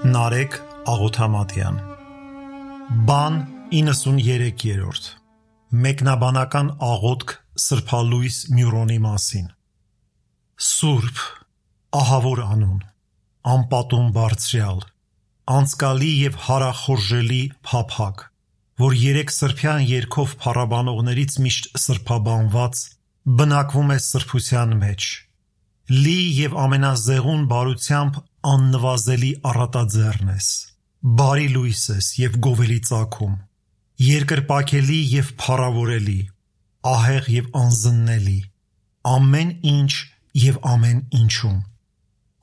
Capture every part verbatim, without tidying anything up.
Նարեկ Աղոթամատյան Բան իննսուններեք Մեկնաբանական աղոթք սրբալույս Մյուրոնի մասին Սուրբ, ահավոր անուն, անպատում բարձրյալ, անցկալի և հարախորժելի փափագ, որ երեք սրբյան երգով փառաբանողներից միշտ սրբաբանված, բնակվում է սրբության մեջ, լի և ամենազեղուն բարությամբ աննվազելի առատաձեռն ես, բարի լույս ես և գովելի ծագում, երկրպագելի և փառավորելի, ահեղ և անզննելի, ամեն ինչ և ամեն ինչում։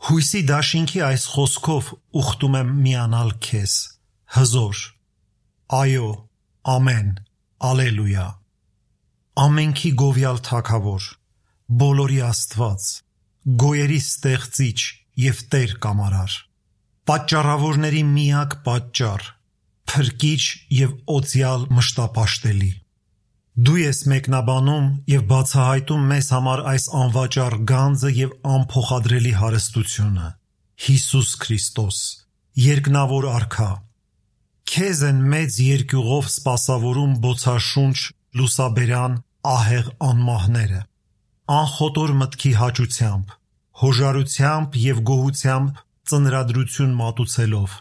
Հույսի դաշինքի այս խոսքով ուխտում եմ միանալ քեզ, հզոր, այո, ամեն, ալելույա, ամենքի գովյալ թագավոր, բոլորի Աստված, գոյերի ստեղծիչ և Տեր կամարար, պատճառավորների միակ պատճառ, փրկիչ և օծյալ մշտապաշտելի։ Դու ես մեկնաբանում և բացահայտում մեզ համար այս անվաճառ գանձը և անփոխադրելի հարստությունը, Հիսուս Քրիստոս, երկնավոր Արքա։ Քեզ են մեծ երկյուղով սպասավորում բոցաշունչ լուսաբերան ահեղ անմահները, անխոտոր մտքի հաճությամբ, հոժարությամբ և գոհությամբ ծնրադրություն մատուցելով,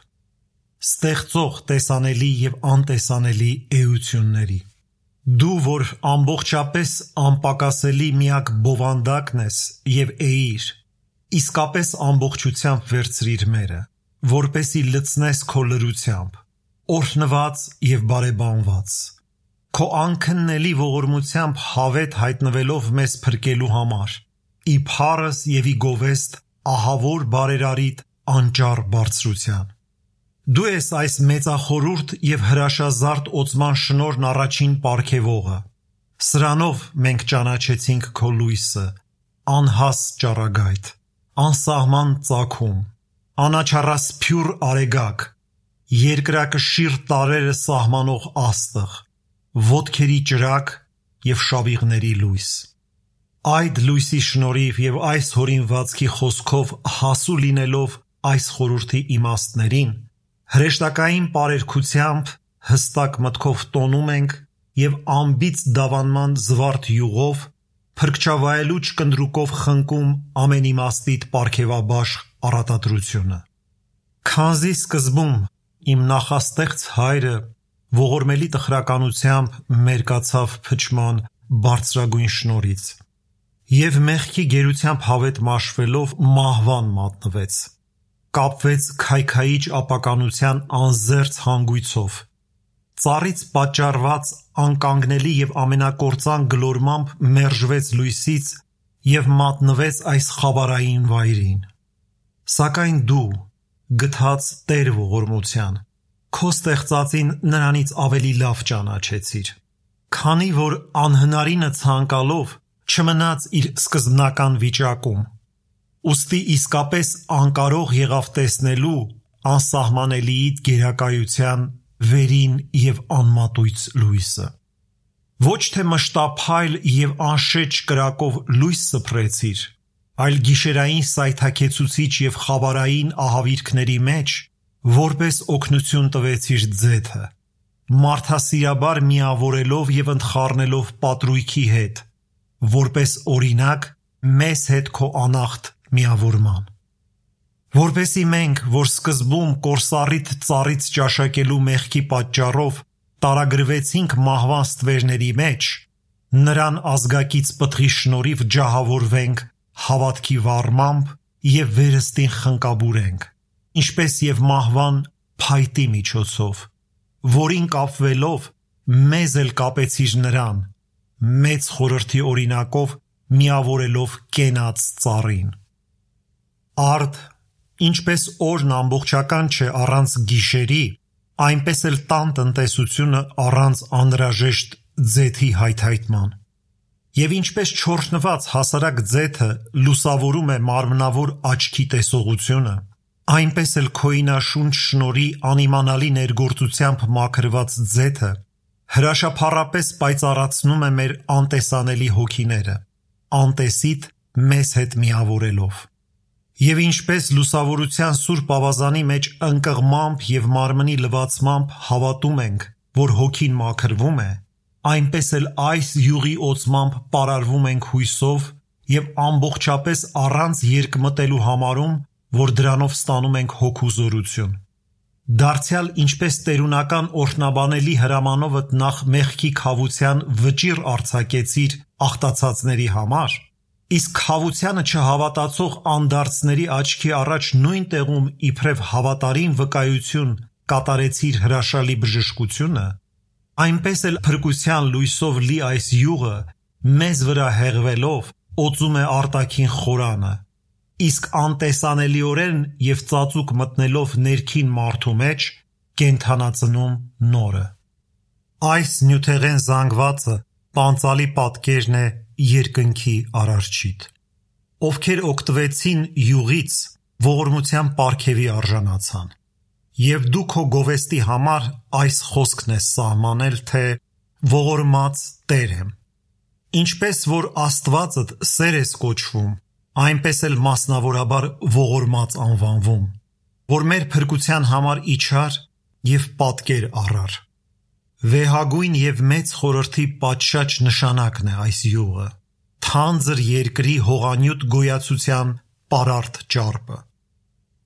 ստեղծող տեսանելի և անտեսանելի էությունների։ Դու, որ ամբողջապես անպակասելի միակ բովանդակն ես և էիր, իսկապես ամբողջությամբ վերցրիր մերը, որպեսզի լցնես քո լրությամբ, օրհնված և բարեբանված, քո անքննելի ողորմությամբ հավետ հայտնվելով մեզ փրկելու համար, ի փառս և ի գովեստ ահավոր բարերարիդ անճառ բարձրության։ Դու ես այս մեծախորհուրդ և հրաշազարդ օծման շնորհն առաջին պարգևողը, սրանով մենք ճանաչեցինք քո լույսը, անհաստ ճառագայթ, անսահման ծագում, անաչառասփյուռ արեգակ, երկրակշիռ տարրերը սահմանող աստղ, ոտքերի ճրագ և շավիղների լույս։ Այդ լույսի շնորհիվ և այս հորինվածքի խոսքով հասու լինելով այս խորհրդի իմաստներին, հրեշտակային պարերգությամբ հստակ մտքով տոնում ենք և անբիծ դավանման զվարթ յուղով, փրկչավայելուչ կնդրուկով խնկում ամենիմաստիդ պարգևաբաշխ առատադրությունը։ Քանզի սկզբում իմ նախաստեղծ հայրը ողորմելի տխրականությամբ մերկացավ փչման բարձրագույն շնորհից և մեղքի գերությամբ հավետ մաշվելով մահվան մատնվեց, կապվեց քայքայիչ ապականության անզերծ հանգույցով, ծառից պատճառված անկանգնելի և ամենակործան գլորմամբ մերժվեց լույսից և մատնվեց այս խավարային վայրին։ Սակայն դու, գթած Տեր ողորմության, քո ստեղծածին նրանից ավելի լավ ճանաչեցիր, քանի որ անհնարինը ցանկալով չմնաց իր սկզբնական վիճակում, ուստի իսկապես անկարող եղավ տեսնելու անսահմանելիիդ գերակայության վերին և անմատույց լույսը։ Ոչ թե մշտափայլ և անշեջ կրակով լույս սփռեցիր, այլ գիշերային սայթաքեցուցիչ և խավարային ահավիրքների մեջ, որպես օգնություն տվեցիր ձեթը, մարդասիրաբար միավորելով և ընդխառնելով պատրույքի հետ, որպես օրինակ մեզ հետ քո անախտ միավորման։ Որպեսզի մենք, որ սկզբում կորսառիդ ծառից ճաշակելու մեղքի պատճառով տարագրվեցինք մահվան ստվերների մեջ, նրան ազգակից պտղի շնորհիվ ջահավորվենք հավատքի վառմամբ և վերստին խնկաբուրենք, ինչպես և մահվան փայտի միջոցով, որին կապվելով մեզ էլ կապեցիր նրան, մեծ խորհրդի օրինակով միավորելով կենաց ծառին։ Արդ, ինչպես օրն ամբողջական չէ առանց գիշերի, այնպես էլ տան տնտեսությունը առանց անհրաժեշտ ձեթի հայթայթման։ Եվ ինչպես չորհնված հասարակ ձեթը լուսավորում է մարմնավոր աչքի տեսողությունը, այնպես էլ քոյինաշունչ շնորհի անիմանալի ներգործությամբ մաքրված ձեթը հրաշափառապես պայծառացնում է մեր անտեսանելի հոգիները, անտեսիդ մեզ հետ միավորելով։ Եվ ինչպես լուսավորության սուրբ ավազանի մեջ ընկղմամբ և մարմնի լվացմամբ հավատում ենք, որ հոգին մաքրվում է, այնպես էլ այս յուղի օծմամբ պարարվում ենք հույսով և ամբողջապես առանց երկմտելու համարում, որ դրանով ստանում ենք հոգու զորություն։ Դարձյալ ինչպես տերունական օրհնաբանելի հրամանովդ նախ մեղքի քավության վճիռ արձակեցիր աղտացածների համար, իսկ քավությանը չհավատացող անդարձների աչքի առաջ նույն տեղում իբրև հավատարիմ վկայություն կատարեցիր հրաշալի բժշկությունը, այնպես էլ փրկության լույսով լի այս յուղը մեզ վրա հեղվելով օծում է արտաքին խորանը, իսկ անտեսանելիորեն և ծածուկ մտնելով ներքին մարդու մեջ կենդանացնում նորը։ Այս նյութեղեն զանգվածը պանծալի պատկերն է երկնքի Արարչիդ, ովքեր օգտվեցին յուղից ողորմության պարգևի արժանացան։ Եվ դու քո գովեստի համար այս խոսքն ես սահմանել, թե ողորմած Տեր եմ։ Ինչպես որ Աստվածդ սեր ես կոչվում, այնպես էլ մասնավորաբար ողորմած անվանվում, որ մեր փրկության համար իջար և պատկեր առար։ Վեհագույն և մեծ խորհրդի պատշաճ նշանակն է այս յուղը, թանձր երկրի հողանյութ գոյացության պարարտ ճարպը։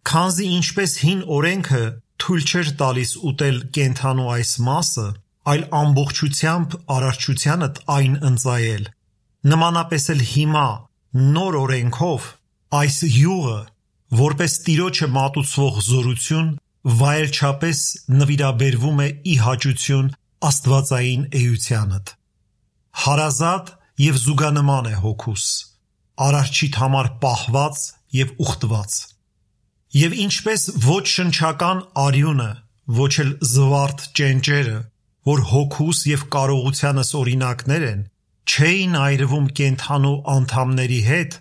Քանզի ինչպես հին օրենքը թույլ չէր տալիս ուտել կենդանու այս մասը, այլ ամբողջությամբ արարչությանդ այն ընծայել, նմանապես էլ հիմա նոր օրենքով այս յուղը, որպես Տիրոջը մատուցվող զորություն, վայելչապես նվիրաբերվում է ի հաճություն աստվածային էությանդ։ Հարազատ և զուգանման է հոգուս, Արարչիդ համար պահված և ուխտված։ Եվ ինչպես ոչ շնչական արյունը, ոչ էլ զվարթ ճենճերը, որ հոգուս և կարողությանս օրինակներ են, չէին այրվում կենդանու անդամների հետ,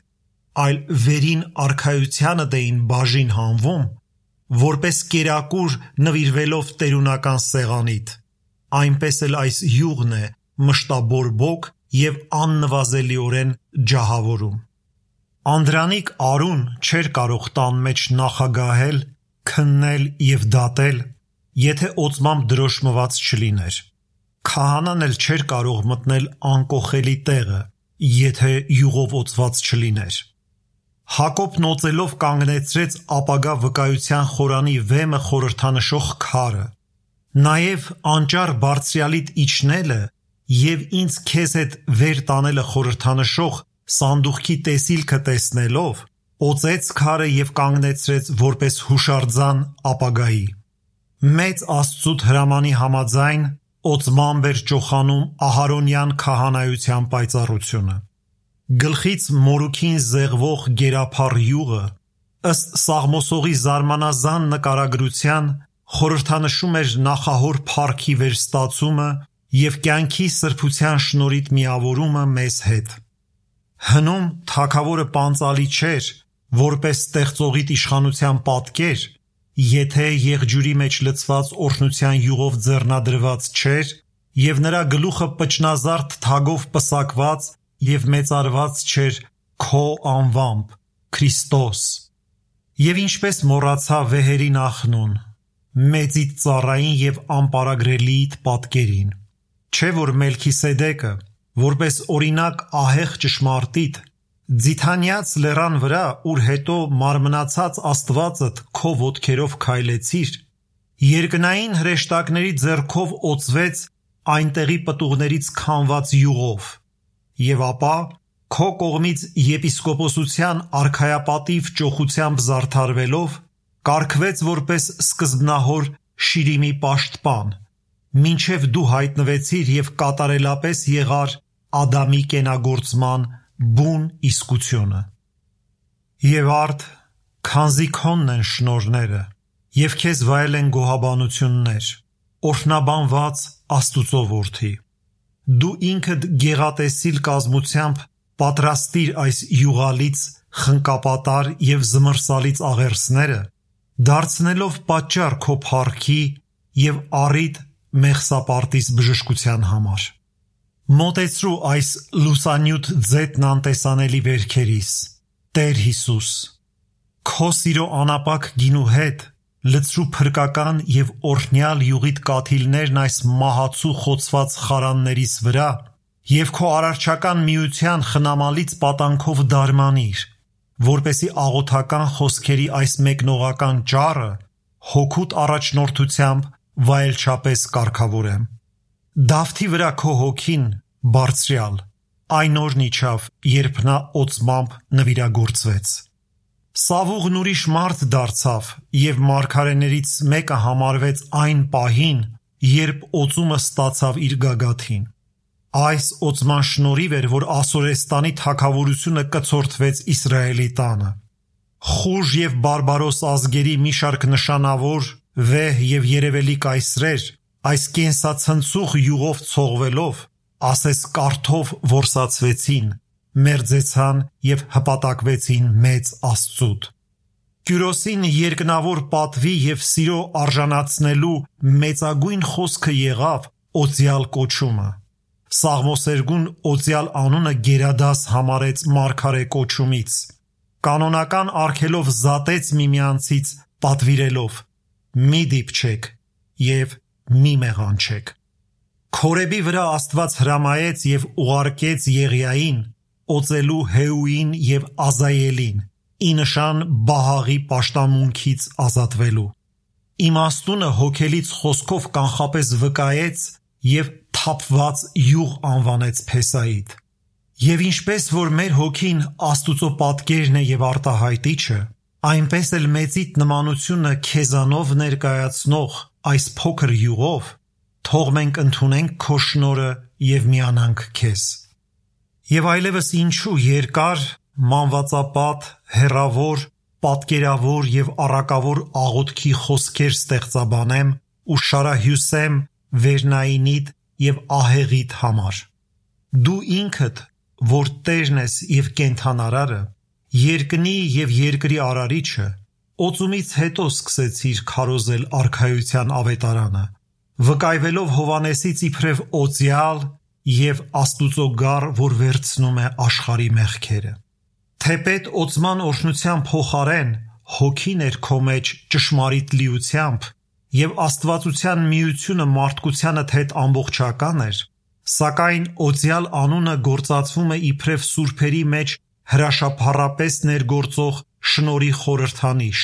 այլ վերին արքայությանդ էին բաժին հանվում, որպես կերակուր նվիրվելով տերունական սեղանիդ, այնպես էլ այս յուղն է մշտաբորբոք և աննվազելիորեն ջահավորում։ Անդրանիկ Արուն չէր կարող տան մեջ նախագահել, քննել և դատել, եթե օծմամբ դրոշմված չլիներ։ Քահանան էլ չէր կարող մտնել անկոխելի տեղը, եթե յուղով օծված չլիներ։ Հակոբն օծելով կանգնեցրեց ապագա վկայության խորանի վեմը խորհրդանշող քարը։ Նաև անճար բարձրյալիդ իջնելը և ինձ քեզ հետ վեր տանելը խորհրդանշող սանդուղքի տեսիլքը տեսնելով, օծեց քարը և կանգնեցրեց որպես հուշարձան ապագայի։ Մեծ Աստծուդ հրամանի համաձայն օծմամբ էր ճոխանում Ահարոնյան քահանայության պայծառությունը։ Գլխից մորուքին զեղվող գերափառ յուղը, ըստ Սաղմոսողի զարմանազան նկարագրության, խորհրդանշում էր նախահոր փառքի վերստացումը և կյանքի սրբության շնորհիդ միավորումը մեզ հետ։ Հնում թագավորը պանծալի չէր, որպես ստեղծողիդ իշխանության պատկեր, եթե եղջյուրի մեջ լցված օրհնության յուղով ձեռնադրված չէր և նրա գլուխը պճնազարդ թագով պսակված և մեծարված չէր քո անվամբ, Քրիստոս։ Եվ ինչպես մոռացա վեհերի նախնուն, մեծիդ ծառային և անպարագրելիիդ պատկերին, չէ որ Մելքիսեդեկը, որպես օրինակ ահեղ ճշմարտիտ, ձիթանյաց լեռան վրա, ուր հետո մարմնացած Աստվածդ քո ոտքերով քայլեցիր, երկնային հրեշտակների ձեռքով օծվեց այնտեղի պտուղներից քամված յուղով, և ապա քո կողմից եպիսկոպոսության արքայապատիվ ճոխությամբ զարդարվելով, կարգվեց որպես սկզբնահոր Շիրիմի պաշտպան, մինչև դու հայտնվեցիր և կատարելապես եղար Ադամի կենագործման բուն իսկությունը։ Եվ արդ, քանզի քոնն են շնորհները, և քեզ վայել են գոհաբանություններ, օրհնաբանված Աստուծո որդի, դու ինքդ գեղատեսիլ կազմությամբ պատրաստիր այս յուղալից խնկապատար և զմռսալից աղերսները, դարձնելով պատճառ քո փառքի և առիթ Մեղսապարտիս բժշկության համար։ Մոտեցրու այս լուսանյութ ձետն անտեսանելի վերքերիս, Տեր Հիսուս, Քո սիրո անապակ գինու հետ լցրու փրկական և օրհնյալ յուղիդ կաթիլներն այս մահացու խոցված խարաններիս վրա և քո արարչական միության խնամալից պատանքով դարմանիր, որպեսզի աղոթական խոսքերի այս մեկնողական ճառը հոգուտ առաջնորդությամբ վայելչապես կարգավորեմ։ Դավթի վրա քո հոգին, Բարձրյալ, այն օրն իջավ, երբ նա օծմամբ նվիրագործվեց։ Սավուղն ուրիշ մարդ դարձավ և մարգարեներից մեկը համարվեց այն պահին, երբ օծումը ստացավ իր գագաթին։ Այս օծման շնորհիվ էր, որ Ասորեստանի թագավորությունը կցորդվեց Իսրայելի տանը։ Խուժ և բարբարոս ազգերի մի շարք նշանավոր, վեհ և երևելի կայսրեր այս կենսացնցուղ յուղով ցողվելով, ասես կարթով որսացվեցին, մերձեցան և հպատակվեցին մեծ Աստծուդ։ Կյուրոսին երկնավոր պատվի և սիրո արժանացնելու մեծագույն խոսքը եղավ օծյալ կոչումը։ Սաղմոսերգուն օծյալ անունը գերադաս համարեց մարգարե կոչումից, կանոնական արգելով զատեց միմյանցից պատվիրելով. «Մի դիպչեք» և «Մի մեղանչեք»։ Քորեբի վրա Աստված հրամայեց և ուղարկեց Եղիային օծելու Հեուին և Ազայելին, ի նշան Բահաղի պաշտամունքից ազատվելու։ Իմաստունը հոգելից խոսքով կանխապես վկայեց և թափված յուղ անվանեց Փեսայիդ։ Եվ ինչպես որ մեր հոգին Աստուծո պատկերն է և արտահայտիչը, այնպես էլ մեծիդ նմանությունը քեզանով ներկայացնող այս փոքր յուղով, թող մենք ընդունենք քո շնորհը և միանանք քեզ։ Եվ այլևս ինչու երկար, մանվածապատ, հեռավոր, պատկերավոր և առակավոր աղոթքի խոսքեր ստեղծաբանեմ ու շարահյուսեմ Վերնայինիդ և ահեղիդ համար։ Դու ինքդ, որ Տերն ես և կենդանարարը, երկնի և երկրի արարիչը, օծումից հետո սկսեցիր քարոզել արքայության ավետարանը, վկայվելով Հովհաննեսից իբրև օծյալ և Աստուծո գառ, որ վերցնում է աշխարհի մեղքերը։ Թեպետ օծման օրհնության փոխարեն հոգին էր քո մեջ ճշմարիտ լիությամբ և աստվածության միությունը մարդկությանդ հետ ամբողջական էր, սակայն օծյալ անունը գործածվում է իբրև սուրբերի մեջ հրաշափառապես ներգործող շնորհի խորհրդանիշ,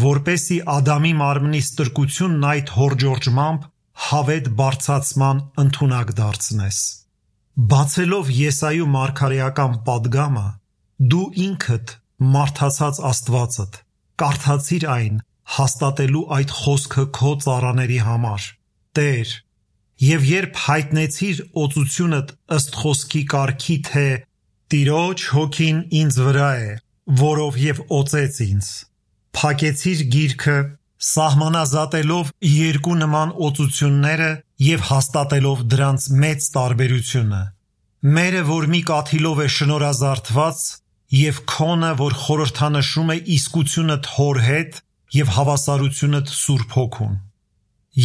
որպեսզի Ադամի մարմնի ստրկությունն այդ հորջորջմամբ հավետ բարձրացման ընդունակ դարձնես։ Բացելով Եսայու մարգարեական պատգամը, դու ինքդ մարդացած Աստվածդ կարդացիր այն, հաստատելու այդ խոսքը քո ծառաների համար, Տեր, և երբ հայտնեցիր օծությունդ ըստ խոսքի կարգի, թե «Տիրոջ հոգին ինձ վրա է, որովհետև օծեց ինձ», փակեցիր գիրքը, սահմանազատելով երկու նման օծությունները և հաստատելով դրանց մեծ տարբերությունը՝ մերը, որ մի կաթիլով է շնորհազարդված, և քոնը, որ խորհրդանշում է իսկությունդ Հոր հետ և հավասարությունդ Սուրբ Հոգուն։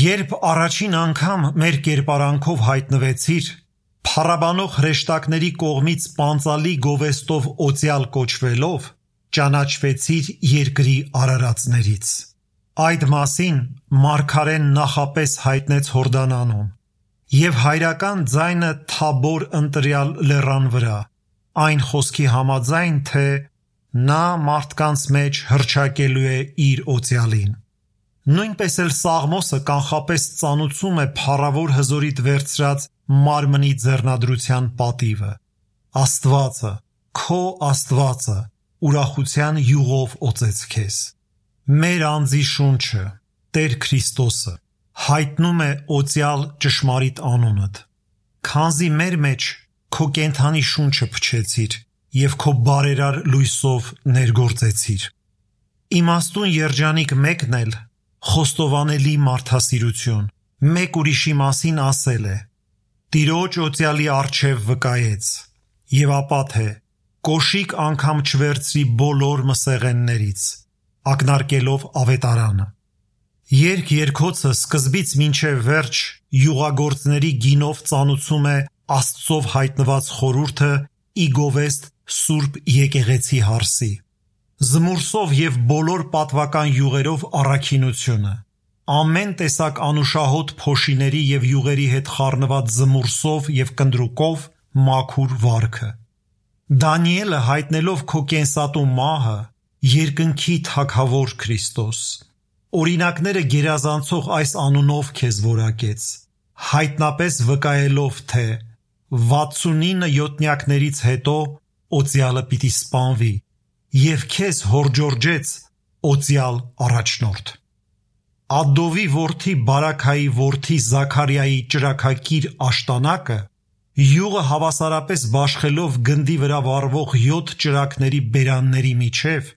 Երբ առաջին անգամ մեր կերպարանքով հայտնվեցիր, փառաբանող հրեշտակների կողմից պանծալի գովեստով օծյալ կոչվելով, ճանաչվեցիր երկրի արարածներից։ Այդ մասին մարգարեն նախապես հայտնեց Հորդանանում, և հայրական ձայնը Թաբոր ընտրյալ լեռան վրա, այն խոսքի համաձայն, թե նա մարդկանց մեջ հռչակելու է իր օծյալին։ Նույնպես էլ Սաղմոսը կանխապես ծանուցում է փառավոր հզորիդ վերցրած մարմնի ձեռնադրության պատիվը։ Աստվածը, քո Աստվածը, ուրախության յուղով օծեց քեզ։ Մեր անձի շունչը, Տեր Քրիստոսը, հայտնում է օծյալ ճշմարիտ անունդ, քանզի մեր մեջ քո կենդանի շունչը փչեցիր և քո բարերար լույսով ներգործեցիր։ Իմաստուն երջանիկ մեկն էլ, խոստովանելի մարդասիրություն, մեկ ուրիշի մասին ասել է. «Տիրոջ օծյալի առջև վկայեց», և ապա թե «Կոշիկ անգամ չվերցրի բոլոր մսեղեններից», ակնարկելով ավետարանը։ Երգ-երգոցը սկզբից մինչև վերջ յուղագործների գինով ծանուցում է Աստծով հայտնված խորհուրդը ի գովեստ Սուրբ Եկեղեցի հարսի։ զմուրսով և բոլոր պատվական յուղերով առաքինությունը, ամեն տեսակ անուշահոտ փոշիների և յուղերի հետ խառնված զմուրսով և կնդրուկով մաքուր վարքը։ Դանիելը հայտնելով քո կենսատու մահը, երկնքի թագավոր Քրիստոս, օրինակները գերազանցող այս անունով քեզ որակեց, հայտնապես վկայելով, թե վաթսունինը յոթնյակներից հետո օծյալը պիտի սպանվի, և քեզ հորդորջեց օծյալ առաջնորդ։ Ադովի որդի Բարաքայի որդի Զաքարիայի ճրագակիր աշտանակը յուղը հավասարապես բաշխելով գնդի վրա վառվող յոթ ճրագների բերանների միջև,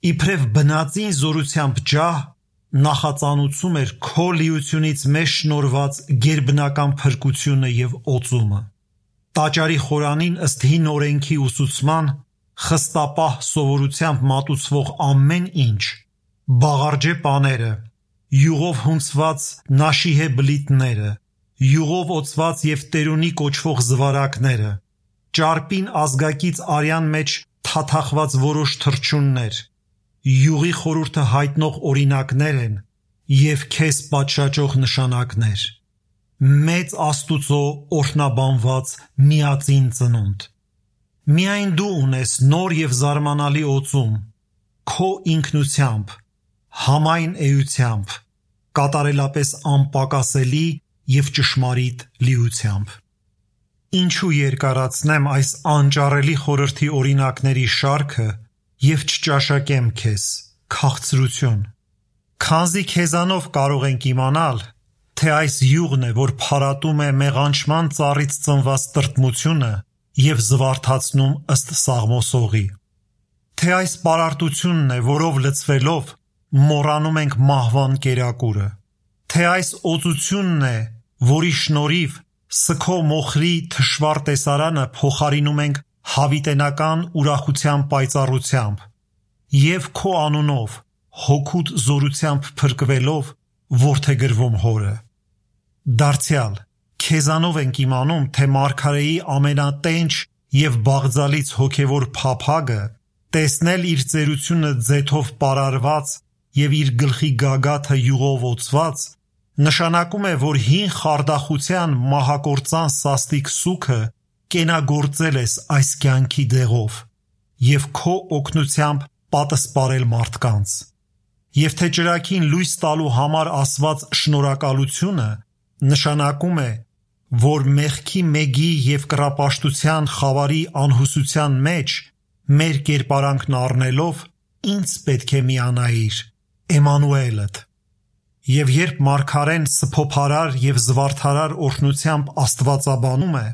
իբրև բնածին զորությամբ ջահ, նախածանուցում էր քո լիությունից մեզ շնորհված գերբնական փրկությունը և օծումը։ Տաճարի խորանին ըստ հին օրենքի ուսուցման խստապահ սովորությամբ մատուցվող ամեն ինչ, բաղարջե պաները, յուղով հունցված նաշիհե բլիթները, յուղով օծված և տերունի կոչվող զվարակները, ճարպին ազգակից արյան մեջ թաթախված որոշ թռչուններ, յուղի խորհուրդը հայտնող օրինակներ են և քեզ պատշաճող նշանակներ։ Մեծ Աստուծո օրհնաբանված միածին ծնունդ, միայն դու ունես նոր և զարմանալի օծում, քո ինքնությամբ, համայն էությամբ, կատարելապես անպակասելի և ճշմարիտ լիությամբ։ Ինչու երկարացնեմ այս անճարելի խորհրդի օրինակների շարքը և չճաշակեմ քեզ, քաղցրություն, քանզի քեզանով կարող ենք իմանալ, թե այս յուղն է, որ փարատում է մեղանչման ծառից ծնված տրտմությունը և զվարթացնում ըստ Սաղմոսողի, թե այս պարարտությունն է, որով լցվելով մոռանում ենք մահվան կերակուրը, թե այս օծությունն է, որի շնորհիվ սգո մոխրի թշվառ տեսարանը փոխարինում ենք հավիտենական ուրախության պայծառությամբ և քո անունով հոգուդ զորությամբ փրկվելով որդեգրվում Հորը։ Դարձյալ քեզանով ենք իմանում, թե մարգարեի ամենատենչ և բաղձալից հոգևոր փափագը տեսնել իր ծերությունը ձեթով պարարված և իր գլխի գագաթը յուղով օծված նշանակում է, որ հին խարդախության մահակործան սաստիկ սուգը կենագործել ես այս կյանքի դեղով և քո օգնությամբ պատսպարել մարդկանց, և թե ճրագին լույս տալու համար ասված շնորհակալությունը նշանակում է, որ մեղքի մեգի և կռապաշտության խավարի անհուսության մեջ մեր կերպարանքն առնելով ինձ պետք է միանայիր, Էմանուելդ։ Եվ երբ մարգարեն սփոփարար և զվարթարար օրհնությամբ աստվածաբանում է,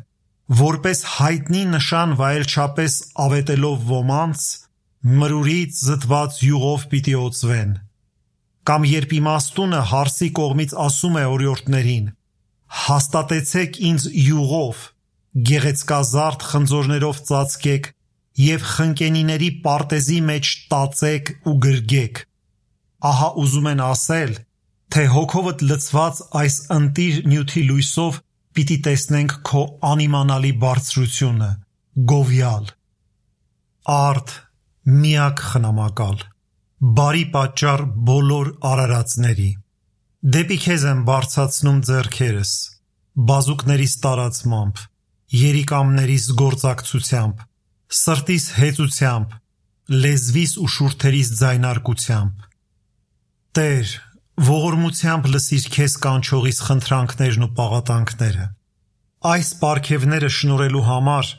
որպես հայտնի նշան վայելչապես ավետելով ոմանց, մրուրից զտված յուղով պիտի օծվեն, կամ երբ իմաստունը հարսի կողմից ասում է օրիորդներին. հաստատեցեք ինձ յուղով, գեղեցկազարդ խնձորներով ծածկեք և խնկենիների պարտեզի մեջ տածեք ու գրգեք, ահա ուզում են ասել, թե հոգովդ լցված այս ընտիր նյութի լույսով պիտի տեսնենք քո անիմանալի բարձրությունը, գովյալ, արդ, միակ խնամակալ, բարի պատճառ բոլոր արարածների, դեպի քեզ եմ բարձրացնում ձեռքերս, բազուկներիս տարածմամբ, երիկամներիս գործակցությամբ, սրտիս հեծությամբ, լեզվիս ու շուրթերիս ձայնարկությամբ։ Տեր, ողորմությամբ լսիր քեզ կանչողիս խնդրանքներն ու պաղատանքները։ Այս պարգևները շնորհելու համար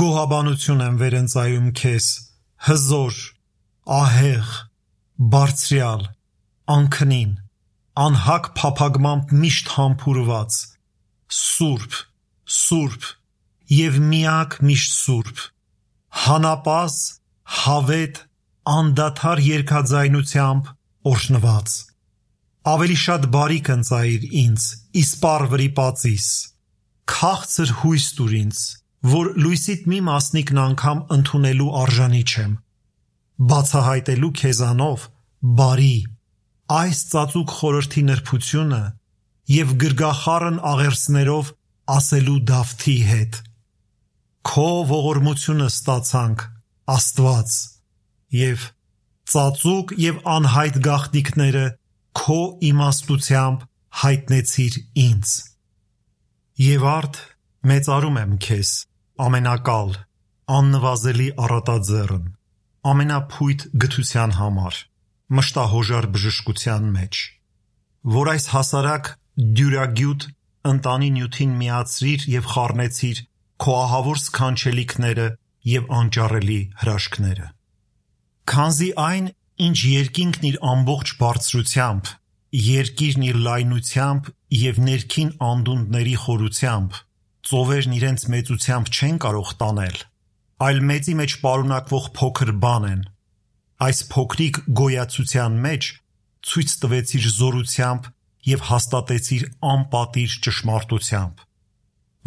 գոհաբանություն եմ վերընծայում քեզ, հզոր, ահեղ, բարձրյալ, անքնին, անհակ փափագմամբ միշտ համբուրված, սուրբ, սուրբ և միակ միշտ սուրբ, հանապազ, հավետ, անդադար երգաձայնությամբ օրհնված։ Ավելի շատ բարիք ընծայիր ինձ, իսպառ վրիպածիս, քաղցր հույս տուր ինձ, որ լույսիդ մի մասնիկն անգամ ընդունելու արժանի չեմ, բացահայտելու քեզանով բարի այս ծածուկ խորհրդի նրբությունը և գրգախառն աղերսներով ասելու դավթի հետ։ Քո ողորմությունը ստացանք, Աստված, և ծածուկ և անհայտ գաղտնիքները քո իմաստությամբ հայտնեցիր ինձ։ Եվ արդ մեծարում եմ քեզ, ամենակալ, աննվազելի առատաձեռն, ամենափույթ գթության համար, մշտահոժար բժշկության մեջ, որ այս հասարակ դյուրագյուտ ընտանի նյութին միացրիր և խառնեցիր քո ահավոր սքանչելիքները և անճարելի հրաշքները։ Քանզի այն, ինչ երկինքն իր ամբողջ բարձրությամբ, երկիրն իր լայնությամբ և ներքին անդունդների խորությամբ, ծովերն իրենց մեծությամբ չեն կարող տանել, այլ մեծի մեջ պարունակվող փոքր բան են, այս փոքրիկ գոյացության մեջ ցույց տվեցիր զորությամբ և հաստատեցիր անպատիժ ճշմարտությամբ,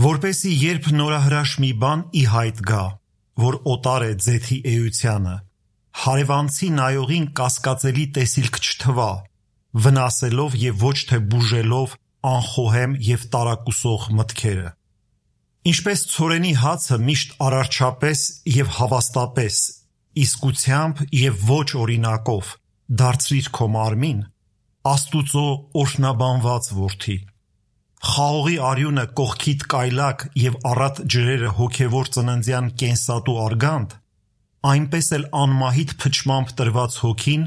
որպեսզի երբ նորահրաշ մի բան ի հայտ գա, որ օտար է ձեթի էությանը, հարևանցի նայողին կասկածելի տեսիլք չթվա, վնասելով և ոչ թե բուժելով անխոհեմ և տարակուսող մտքերը։ Ինչպես ցորենի հացը միշտ արարչապես և հավաստապես, իսկությամբ և ոչ օրինակով դարձրիր քո մարմին, Աստուծո օրհնաբանված որդի, խաղողի արյունը կողքիդ կայլակ և առատ ջրերը հոգևոր ծննդյան կենսատու արգանդ, այնպես էլ անմահիտ փչմամբ տրված հոգին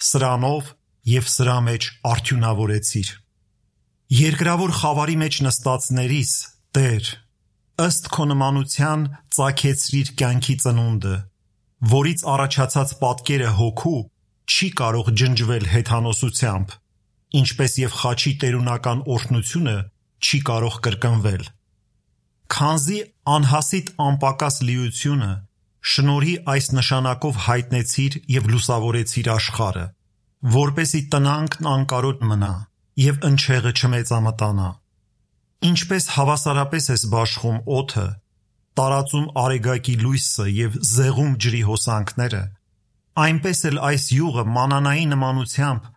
սրանով և սրա մեջ արդյունավորեցիր։ Երկրավոր խավարի մեջ նստածներիս, Տեր, ըստ քո նմանության ծագեցրիր կյանքի ծնունդը, որից առաջացած պատկերը հոգու չի կարող ջնջվել հեթանոսությամբ, ինչպես և խաչի տերունական օրհնությունը չի կարող կրկնվել։ Քանզի անհասիտ անպակաս լիությունը շնորհի այս նշանակով հայտնեցիր և լուսավորեցիր աշխարհը, որպեսզի տնանքն անկարոտ մնա և ընչեղը չմեծամտանա։ Ինչպես հավասարապես ես բաշխում օդը, տարածում արեգակի լույսը և զեղում ջրի հոսանքները, այնպես էլ այս յուղը մանանայի նմանությամբ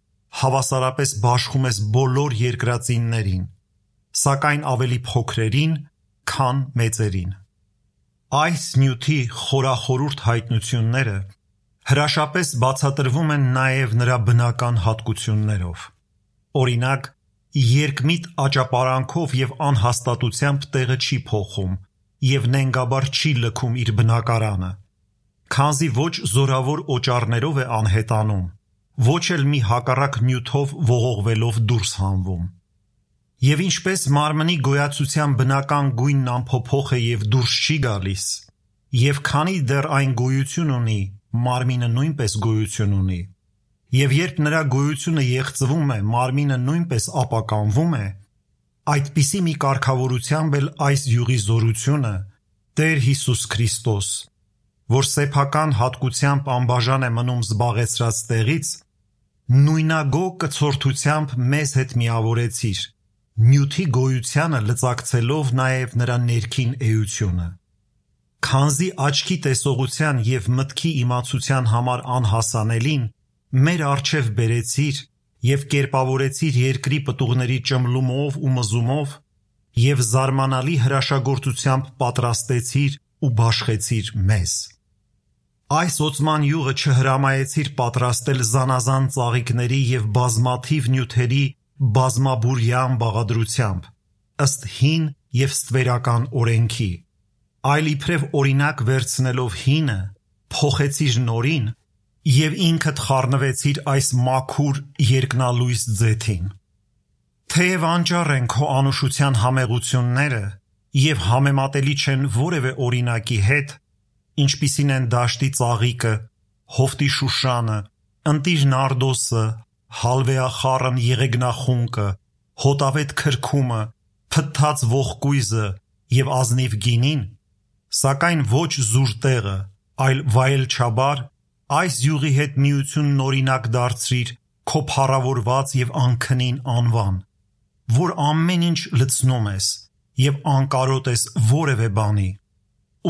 հավասարապես բաշխում ես բոլոր երկրածիններին, սակայն ավելի փոքրերին, քան մեծերին։ Այս նյութի խորախորուրդ հայտնությունները հրաշապես բացատրվում են նաև նրա բնական հատկություններով։ Օրինակ, երկմիտ աճապարանքով և անհաստատությամբ տեղը չի փոխում և նենգաբար չի լքում իր բնակարանը, քանզի ոչ զորավոր օճառներով է անհետանում, ոչ էլ մի հակառակ նյութով ողողվելով դուրս հանվում։ Եվ ինչպես մարմնի գոյացության բնական գույնն անփոփոխ է և դուրս չի գալիս, և քանի դեռ այն գոյություն ունի, մարմինը նույնպես գոյություն ունի, և երբ նրա գոյությունը եղծվում է, մարմինը նույնպես ապականվում է, այդպիսի մի կարգավորությամբ էլ այս յուղի զորությունը, Տեր Հիսուս Քրիստոս, որ սեփական հատկությամբ անբաժան է մնում զբաղեցրած տեղից, նույնագո կցորդությամբ մեզ հետ միավորեցիր, նյութի գոյությանը լծակցելով նաև նրա ներքին էությունը։ Քանզի աչքի տեսողության և մտքի իմացության համար անհասանելին մեր առջև բերեցիր և կերպավորեցիր երկրի պտուղների ճմլումով ու մզումով և զարմանալի հրաշագործությամբ պատրաստեցիր ու բաշխեցիր մեզ։ Այս օծման յուղը չհրամայեցիր պատրաստել զանազան ծաղիկների և բազմաթիվ նյութերի բազմաբուրյան բաղադրությամբ, ըստ հին և ստվերական օրենքի, այլ իբրև օրինակ վերցնելով հինը, փոխեցիր նորին և ինքդ խառնվեցիր այս մաքուր երկնալույս ձեթին։ Թեև անճառ են քո անուշության համեղությունները և համեմատելի չեն որևէ օրինակի հետ, ինչպիսին են դաշտի ծաղիկը, հովտի շուշանը, ընտիր նարդոսը, հալվեախառն եղեգնախունկը, հոտավետ քրքումը, փթթած ողկույզը և ազնիվ գինին, սակայն ոչ զուր տեղը, այլ վայելչաբար այս յուղի հետ միությունն օրինակ դարձրիր քո փառավորված և անքնին անվան, որ ամեն ինչ լցնում ես և անկարոտ ես որևէ բանի,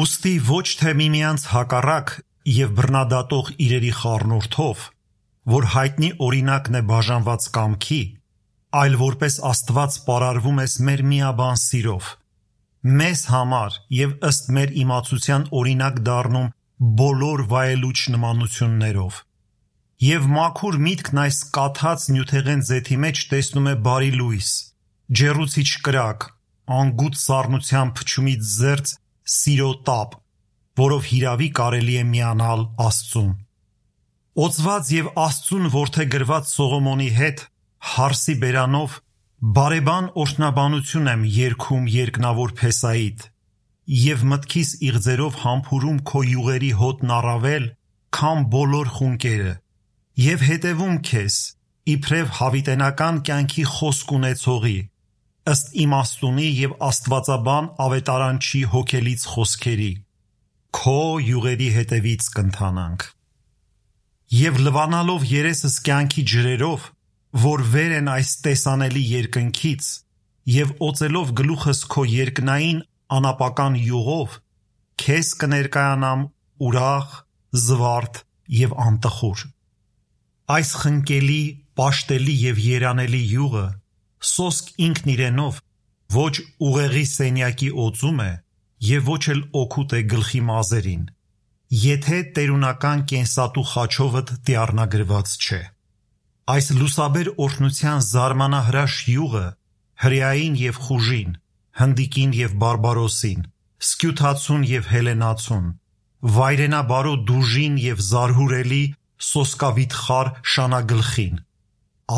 ուստի ոչ թե միմյանց հակառակ և բռնադատող իրերի խառնուրդով, որ հայտնի օրինակն է բաժանված կամքի, այլ որպես Աստված պարարվում ես մեր միաբան սիրով, մեզ համար և ըստ մեր իմացության օրինակ դառնում բոլոր վայելուչ նմանություններով, Եվ մաքուր միտքն այս կաթած նյութեղեն ձեթի մեջ տեսնում է բարի լույս, ջեռուցիչ կրակ, անգութ սառնության փչումից զերծ սիրո տապ, որով հիրավի կարելի է միանալ Աստծուն։ Օծված եւ Աստծուն որդեգրված Սողոմոնի հետ հարսի բերանով բարեբան օրհնաբանություն եմ երգում երկնավոր Փեսայիդ եւ մտքիս իղձերով համբուրում քո յուղերի հոտն առավել, քան բոլոր խունկերը եւ հետևում քեզ իբրև հավիտենական կյանքի խոսք ունեցողի ըստ իմաստունի եւ աստվածաբան ավետարանչի հոգելից խոսքերի քո յուղերի հետևից կընթանանք եւ լվանալով երեսս կյանքի ջրերով որ վեր են այս տեսանելի երկնքից եւ օծելով գլուխս քո երկնային անապական յուղով քեզ կներկայանամ ուրախ, զվարթ եւ անտխուր։ Այս խնկելի, պաշտելի եւ երանելի յուղը սոսկ ինքն իրենով ոչ ուղեղի սենյակի օծում է եւ ոչ էլ օգուտ է գլխի մազերին, եթե տերունական կենսատու խաչովդ դիառնագրված չէ։ Այս լուսաբեր օրհնության զարմանահրաշ յուղը հրեային եւ խուժին, հնդիկին եւ բարբարոսին, սկյութացուն եւ հելենացուն, վայրենաբարո դուժին եւ զարհուրելի սոսկավիթխար շանագլխին,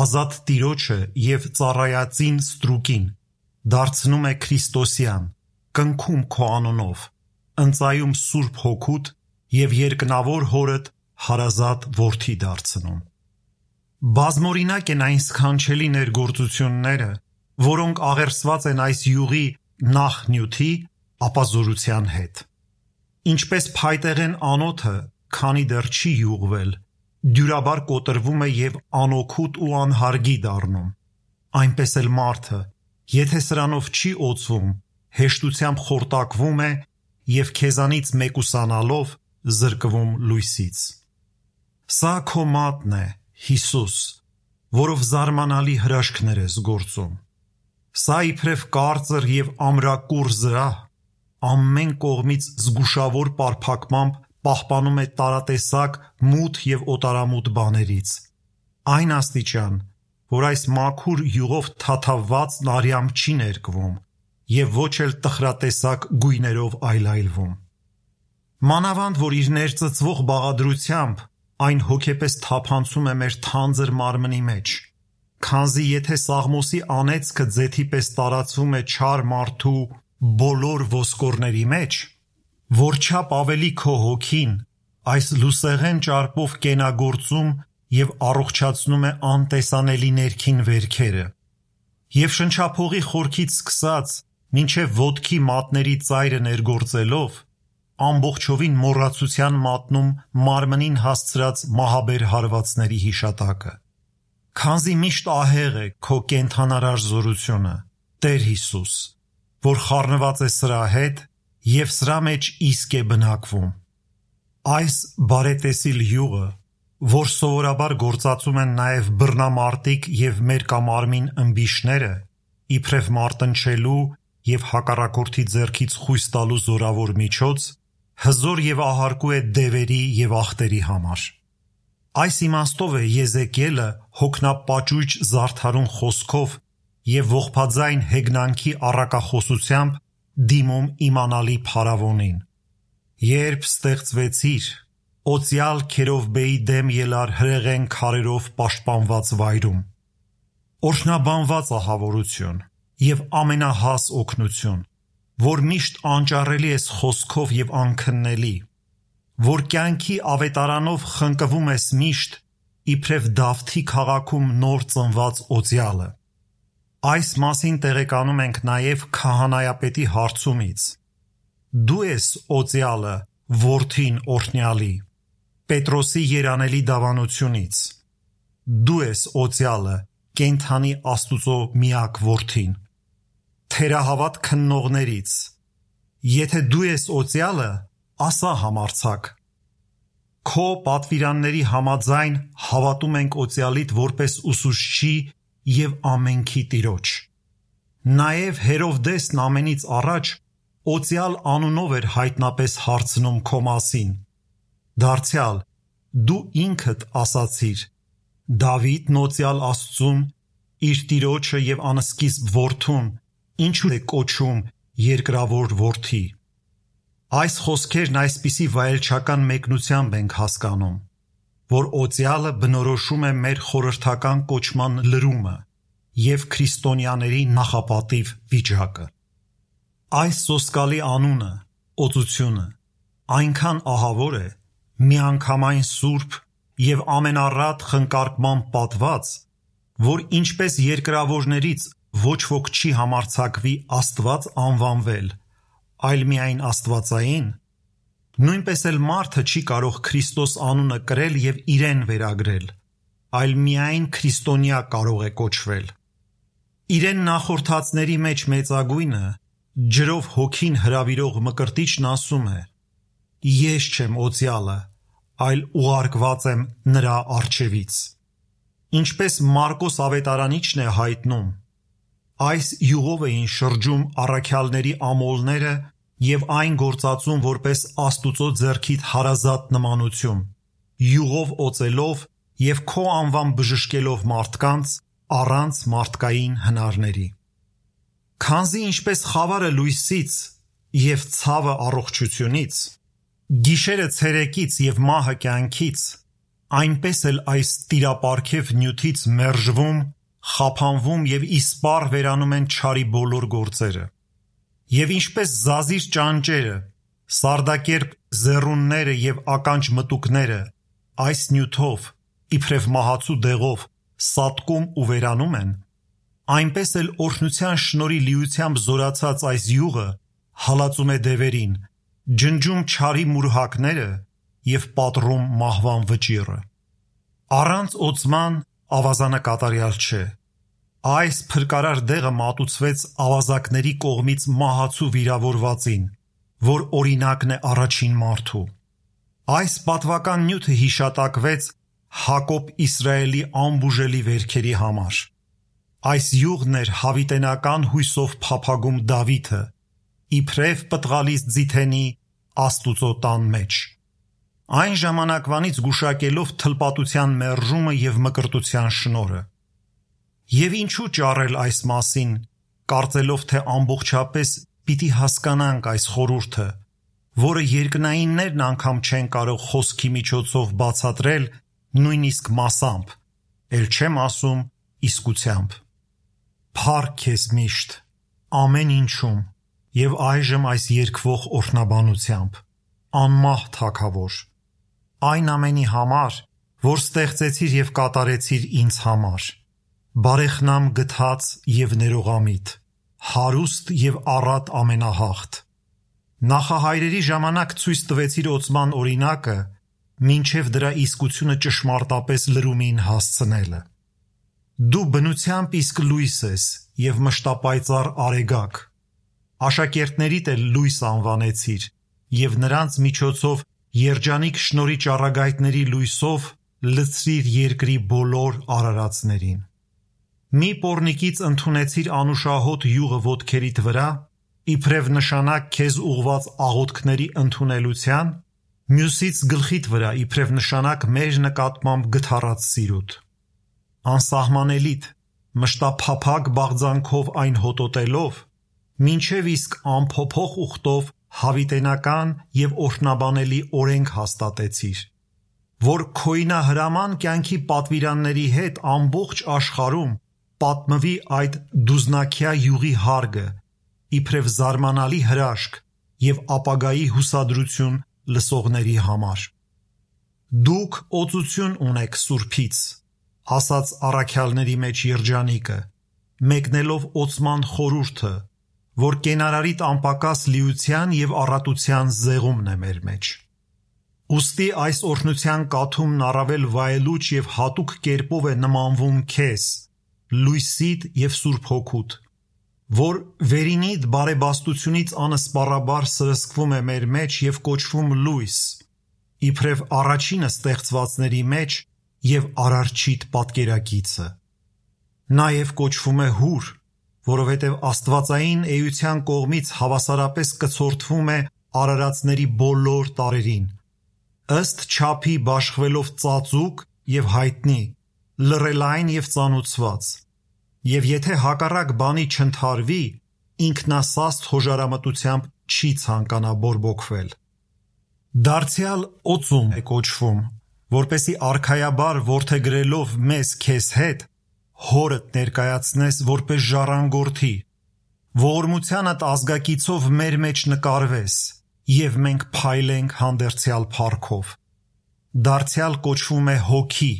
ազատ տիրոջը եւ ծառայածին ստրուկին դարձնում է Քրիստոսյան, կնքում քո անունով, ընծայում Սուրբ Հոգուդ եւ երկնավոր հորդ հարազատ որդի դարձնում։ Բազմօրինակ են այն սքանչելի ներգործությունները, որոնք աղերսված են այս յուղի նախ նյութի, ապա զորության հետ։ Ինչպես փայտեղեն անոթը, քանի դեռ չի յուղվել, դյուրաբար կոտրվում է եւ անօգուտ ու անհարգի դառնում, այնպես էլ մարդը, եթե սրանով չի օծվում, հեշտությամբ խորտակվում է եւ քեզանից մեկուսանալով զրկվում լույսից։ Սա քո մատն է, Հիսուս, որով զարմանալի հրաշքներ ես գործում։ Սա իբրև կարծր եւ ամրակուռ զրահ, ամեն կողմից զգուշավոր պարփակմամբ պահպանում է տարատեսակ մութ եւ օտարամութ բաներից։ Այն աստիճան, որ այս մաքուր յուղով թաթավված արյամբ չի ներկվում եւ ոչ էլ տխրատեսակ գույներով այլայլվում։ Մանավանդ, որ իր ներծծվող բաղադրությամբ այն հոգեպես թափանցում է մեր թանձր մարմնի մեջ, քանզի եթե Սաղմոսի անեծքը ձեթի պես տարածվում է չար մարդու բոլոր ոսկորների մեջ, որչափ ավելի քո հոգին այս լուսեղեն ճարպով կենագործում եւ առողջացնում է անտեսանելի ներքին վերքերը, եւ շնչափողի խորքից սկսած մինչև ոտքի մատների ծայրը ներգործելով ամբողջովին մոռացության մատնում մարմնին հասցրած մահաբեր հարվածների հիշատակը։ Քանզի միշտ ահեղ է քո կենթանարար զորությունը, Տեր Հիսուս, որ խառնված է սրա հետ եւ սրա մեջ իսկ է բնակվում։ Այս բարետեսիլ յուղը, որ սովորաբար գործածում են նաեւ բռնամարտիկ եւ մերկամարմին ըմբիշները, իբրև մարտնչելու եւ հակառակորդի ձեռքից խույս տալու զորավոր միջոց, հզոր եւ ահարկու է դևերի եւ ախտերի համար։ Այս իմաստով է Եզեկիելը հոգնապաճույճ զարդարուն խոսքով եւ ողբաձայն հեգնանքի առակախոսությամբ դիմում իմանալի փարավոնին։ Երբ ստեղծվեցիր, օծյալ Քերովբեի դեմ ելար հրեղեն քարերով պաշտպանված վայրում։ Օրհնաբանված ահավորություն եւ ամենահաս օգնություն, որ միշտ անճարելի ես խոսքով եւ անքննելի, որ կյանքի ավետարանով խնկվում ես միշտ, իբրև Դավթի քաղաքում նոր ծնված օծյալը։ Այս մասին տեղեկանում ենք նաեւ քահանայապետի հարցումից։ Դու ես օծյալը, որդին օրհնյալի, Պետրոսի երանելի դավանությունից։ Դու ես օծյալը, կենթանի Աստուծո միակ որդին, թերահավատ քննողներից։ Եթե դու ես օծյալը, ասա համարձակ։ Քո պատվիրանների համաձայն հավատում ենք օծյալիդ որպես ուսուցչի եւ ամենքի Տիրոջ։ Նաեւ Հերովդեսն ամենից առաջ օծյալ անունով էր հայտնապես հարցնում քո մասին։ Դարձյալ, Դու ինքդ ասացիր. Դավիթ նոցյալ Աստծուն իր տիրոջը եւ անսկիզբ որդուն ինչու է կոչում երկրավոր որդի։ Այս խոսքերն այսպիսի վայելչական մեկնությամբ ենք հասկանում, որ օծյալը բնորոշում է մեր խորհրդական կոչման լրումը եւ քրիստոնյաների նախապատիվ վիճակը։ Այս սոսկալի անունը, օծությունը, այնքան ահավոր է, միանգամայն սուրբ եւ ամենառատ խնկարկման պատված, որ ինչպես երկրավորներից ոչ ոք չի համարձակվի Աստված անվանվել, այլ միայն աստվածային, նույնպես էլ մարդը չի կարող Քրիստոս անունը կրել եւ իրեն վերագրել, այլ միայն քրիստոնյա կարող է կոչվել։ Իրեն նախորդածների մեջ մեծագույնը, ջրով հոգին հրավիրող Մկրտիչն ասում է. Ես չեմ օծյալը, այլ ուղարկված եմ նրա առջևից։ Ինչպես Մարկոս ավետարանիչն է հայտնում, այս յուղով էին շրջում առաքյալների ամոլները եւ այն գործածում որպես Աստուծո ձեռքիդ հարազատ նմանություն, յուղով օծելով եւ քո անվան բժշկելով մարդկանց առանց մարդկային հնարների։ Քանզի ինչպես խավարը լույսից եւ ցավը առողջությունից, գիշերը ցերեկից եւ մահը կյանքից, այնպես էլ այս տիրապարքև նյութից մերժվում, խափանվում եւ իսպառ վերանում են չարի բոլոր գործերը։ Եվ ինչպես զազիր ճանճերը, սարդակերպ զեռունները եւ ականջ մտուկները այս նյութով, իբրև մահացու դեղով, սատկում ու վերանում են, այնպես էլ օրհնության շնորհի լիությամբ զորացած այս յուղը հալածում է դևերին, ջնջում չարի մուրհակները եւ պատռում մահվան վճիռը։ Առանց օծման ավազանը կատարյալ չէ։ Այս փրկարար դեղը մատուցվեց ավազակների կողմից մահացու վիրավորվածին, որ օրինակն է առաջին մարդու։ Այս պատվական նյութը հիշատակվեց Հակոբ Իսրայելի անբուժելի վերքերի համար։ Այս յուղն էր հավիտենական հույսով փափագում Դավիթը, իբրև պտղալից ձիթենի Աստուծո տան մեջ, այն ժամանակվանից գուշակելով թլպատության մերժումը եւ մկրտության շնորհը։ Եվ ինչու ճառել այս մասին, կարծելով թե ամբողջապես պիտի հասկանանք այս խորհուրդը, որը երկնայիններն անգամ չեն կարող խոսքի միջոցով բացատրել նույնիսկ մասամբ, ել չեմ ասում իսկությամբ։ Փառք քեզ միշտ, ամեն ինչում եւ այժմ այս երկվող օրհնաբանությամբ, անմահ Թագավոր, այն ամենի համար, որ ստեղծեցիր եւ կատարեցիր ինձ համար, բարեխնամ գթած եւ ներողամիտ, հարուստ եւ առատ ամենահաղթ։ Նախահայրերի ժամանակ ցույց տվեցիր օծման օրինակը, մինչև դրա իսկությունը ճշմարտապես լրումին հասցնելը։ Դու բնությամբ իսկ լույս ես եւ մշտապայծառ արեգակ, աշակերտներիդ էլ լույս անվանեցիր եւ նրանց միջոցով երջանիկ շնորհի ճառագայթների լույսով լցրիր երկրի բոլոր արարածներին։ Մի պոռնիկից ընդունեցիր անուշահոտ յուղը ոտքերիդ վրա, իբրև նշանակ քեզ ուղված աղոթքների ընդունելության, մյուսից գլխիդ վրա իբրև նշանակ մեր նկատմամբ գթառած սիրուտ։ Անսահմանելիդ, մշտափափակ բաղձանքով այն հոտոտելով, մինչև իսկ անփոփոխ ուխտով հավիտենական եւ օրհնաբանելի օրենք հաստատեցիր, որ քոյնահրաման կյանքի պատվիրանների հետ ամբողջ աշխարհում պատմվի այդ դուզնակյա յուղի հարգը, իբրև զարմանալի հրաշք եւ ապագայի հուսադրություն լսողների համար։ Դուք օծություն ունեք Սուրբից, ասաց առաքյալների մեջ երջանիկը, մեկնելով օծման խորհուրդը, որ կենարարիտ անպակաս լիության եւ առատության զեղումն է մեր մեջ։ Ուստի այս օրհնության կաթումն առավել վայելուչ եւ հատուկ կերպով է նմանվում քեզ, լույսիդ եւ Սուրբ Հոգուդ, որ վերինիդ բարեբաստությունից անսպառաբար սրսկվում է մեր մեջ եւ կոչվում լույս, իբրև առաջինը ստեղծվածների մեջ եւ արարչիդ պատկերակիցը։ Նաեւ կոչվում է հուր, որովհետև աստվածային էության կողմից հավասարապես կցորդվում է արարածների բոլոր տարերին, ըստ չափի բաշխվելով ծածուկ և հայտնի, լռելային և ծանուցված, և եթե հակառակ բանի չընթարվի, ինքնասաստ հոժարամտությամբ չի ցանկանա բորբոքվել։ Դարձյալ օծում է կոչվում, որպեսզի արքայաբար որդեգրելով մեզ քեզ հետ, հորդ ներկայացնես որպես ժառանգորդի, ողորմությանդ ազգակիցով մեր մեջ նկարվես, և մենք փայլենք հանդերձյալ փառքով։ Դարձյալ կոչվում է հոգի,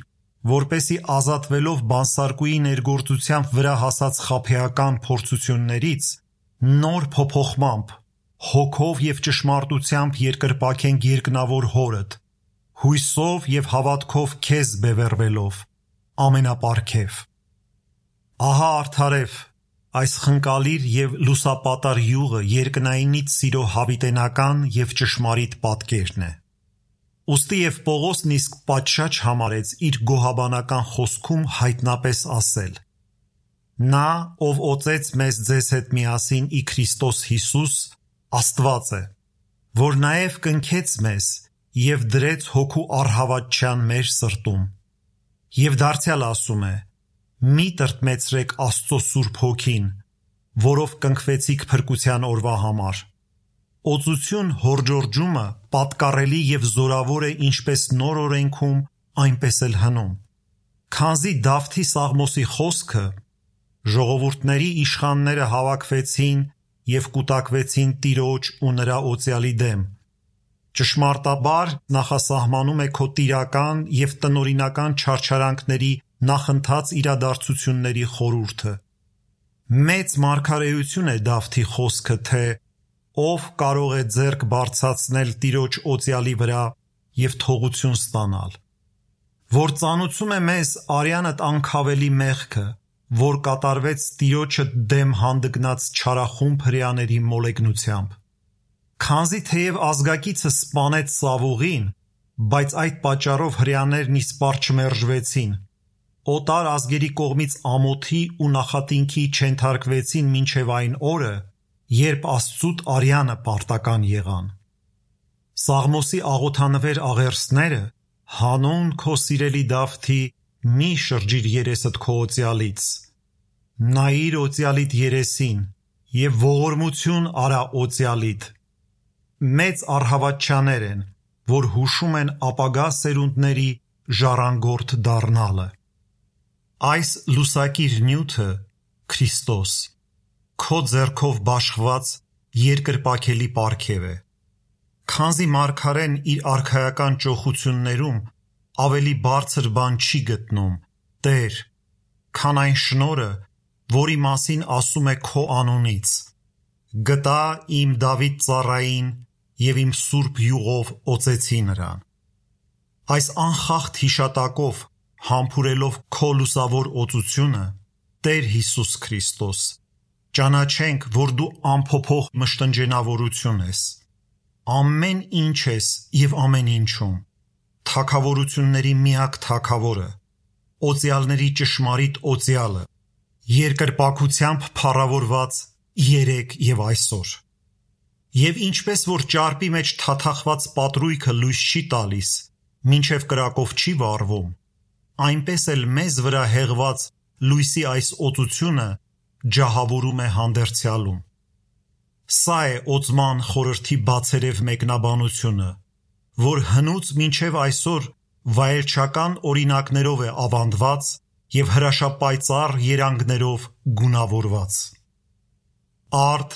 որպեսզի ազատվելով բանսարկուի ներգործությամբ վրա հասած խաբեական փորձություններից, նոր փոփոխմամբ, հոգով և ճշմարտությամբ երկրպագենք երկնավոր հորդ, հույսով և հավատքով քեզ բևեռվելով, ամենապարգև։ Ահա արդարև, այս խնկալիր և լուսապատար յուղը երկնայինից սիրո հավիտենական և ճշմարիտ պատկերն է։ Ուստի և Պողոսն իսկ պատշաճ համարեց իր գոհաբանական խոսքում հայտնապես ասել. «Նա, ով օծեց մեզ ձեզ հետ միասին ի Քրիստոս Հիսուս, Աստված է, որ նաև կնքեց մեզ և դրեց հոգու առհավատչյան մեր սրտում։ Եվ դարձյալ ասում է. մի տրտմեցրեք Աստծո Սուրբ Հոգին, որով կնքվեցիք փրկության օրվա համար։ Օծություն հորդորջումը պատկառելի և զորավոր է ինչպես նոր օրենքում, այնպես էլ հնում։ Քանզի Դավթի Սաղմոսի խոսքը «Ժողովուրդների իշխանները հավաքվեցին և կուտակվեցին Տիրոջ ու նրա օծյալի դեմ» ճշմարտաբար նախասահմանում է քո տիրական և տնօրինական չարչարանքների նախընթաց իրադարձությունների խորհուրդը։ Մեծ մարգարեություն է Դավթի խոսքը, թե ով կարող է ձեռք բարձրացնել Տիրոջ օծյալի վրա և թողություն ստանալ, որ ծանուցում է մեզ արյանդ անքավելի մեղքը, որ կատարվեց Տիրոջը դեմ հանդգնած չարախումբ հրեաների մոլեգնությամբ։ Քանզի թեև ազգակիցը սպանեց Սավուղին, բայց այդ պատճառով հրեաներն իսպառ չմերժվեցին, օտար ազգերի կողմից ամոթի ու նախատինքի չենթարկվեցին մինչև այն օրը, երբ Աստծուտ արյանը պարտական եղան։ Սաղմոսի աղոթանվեր աղերսները հանուն քո սիրելի Դավթի մի շրջիր երեսդ քո օծյալից, նայիր օծյալիդ երեսին և ողորմություն արա օծյալիդ։ Մեծ առհավատչաներ են, որ հուշում են ապագա սերունդների ժառանգորդ դառնալը։ Այս լուսակիր նյութը Քրիստոս, քո ձեռքով բաշխված երկրպագելի պարգև է։ Քանզի մարգարեն իր արքայական ճոխություններում ավելի բարձր բան չի գտնում, Տեր, քան այն շնորհը, որի մասին ասում է քո անունից. «Գտա իմ Դավիթ ծառային և իմ սուրբ յուղով օծեցի նրան»։ Այս անխախտ հիշատակով համբուրելով քո լուսավոր օծությունը, Տեր Հիսուս Քրիստոս, ճանաչենք, որ դու անփոփոխ մշտնջենավորություն ես, ամեն ինչ ես և ամեն ինչում, թագավորությունների միակ թագավորը, օծյալների ճշմարիտ օծյալը, երկրպագությամբ փառավորված երեկ և այսօր։ Եվ ինչպես որ ճարպի մեջ թաթախված պատրույգը լույս չի տալիս, մինչև կրակով չի վառվում, այնպես էլ մեզ վրա հեղված լույսի այս օծությունը ջահավորում է հանդերձյալում։ Սա է օծման խորհրդի բացերև մեկնաբանությունը, որ հնուց մինչև այսօր վայելչական օրինակներով է ավանդված և հրաշապայծառ երանգներով գունավորված։ Արդ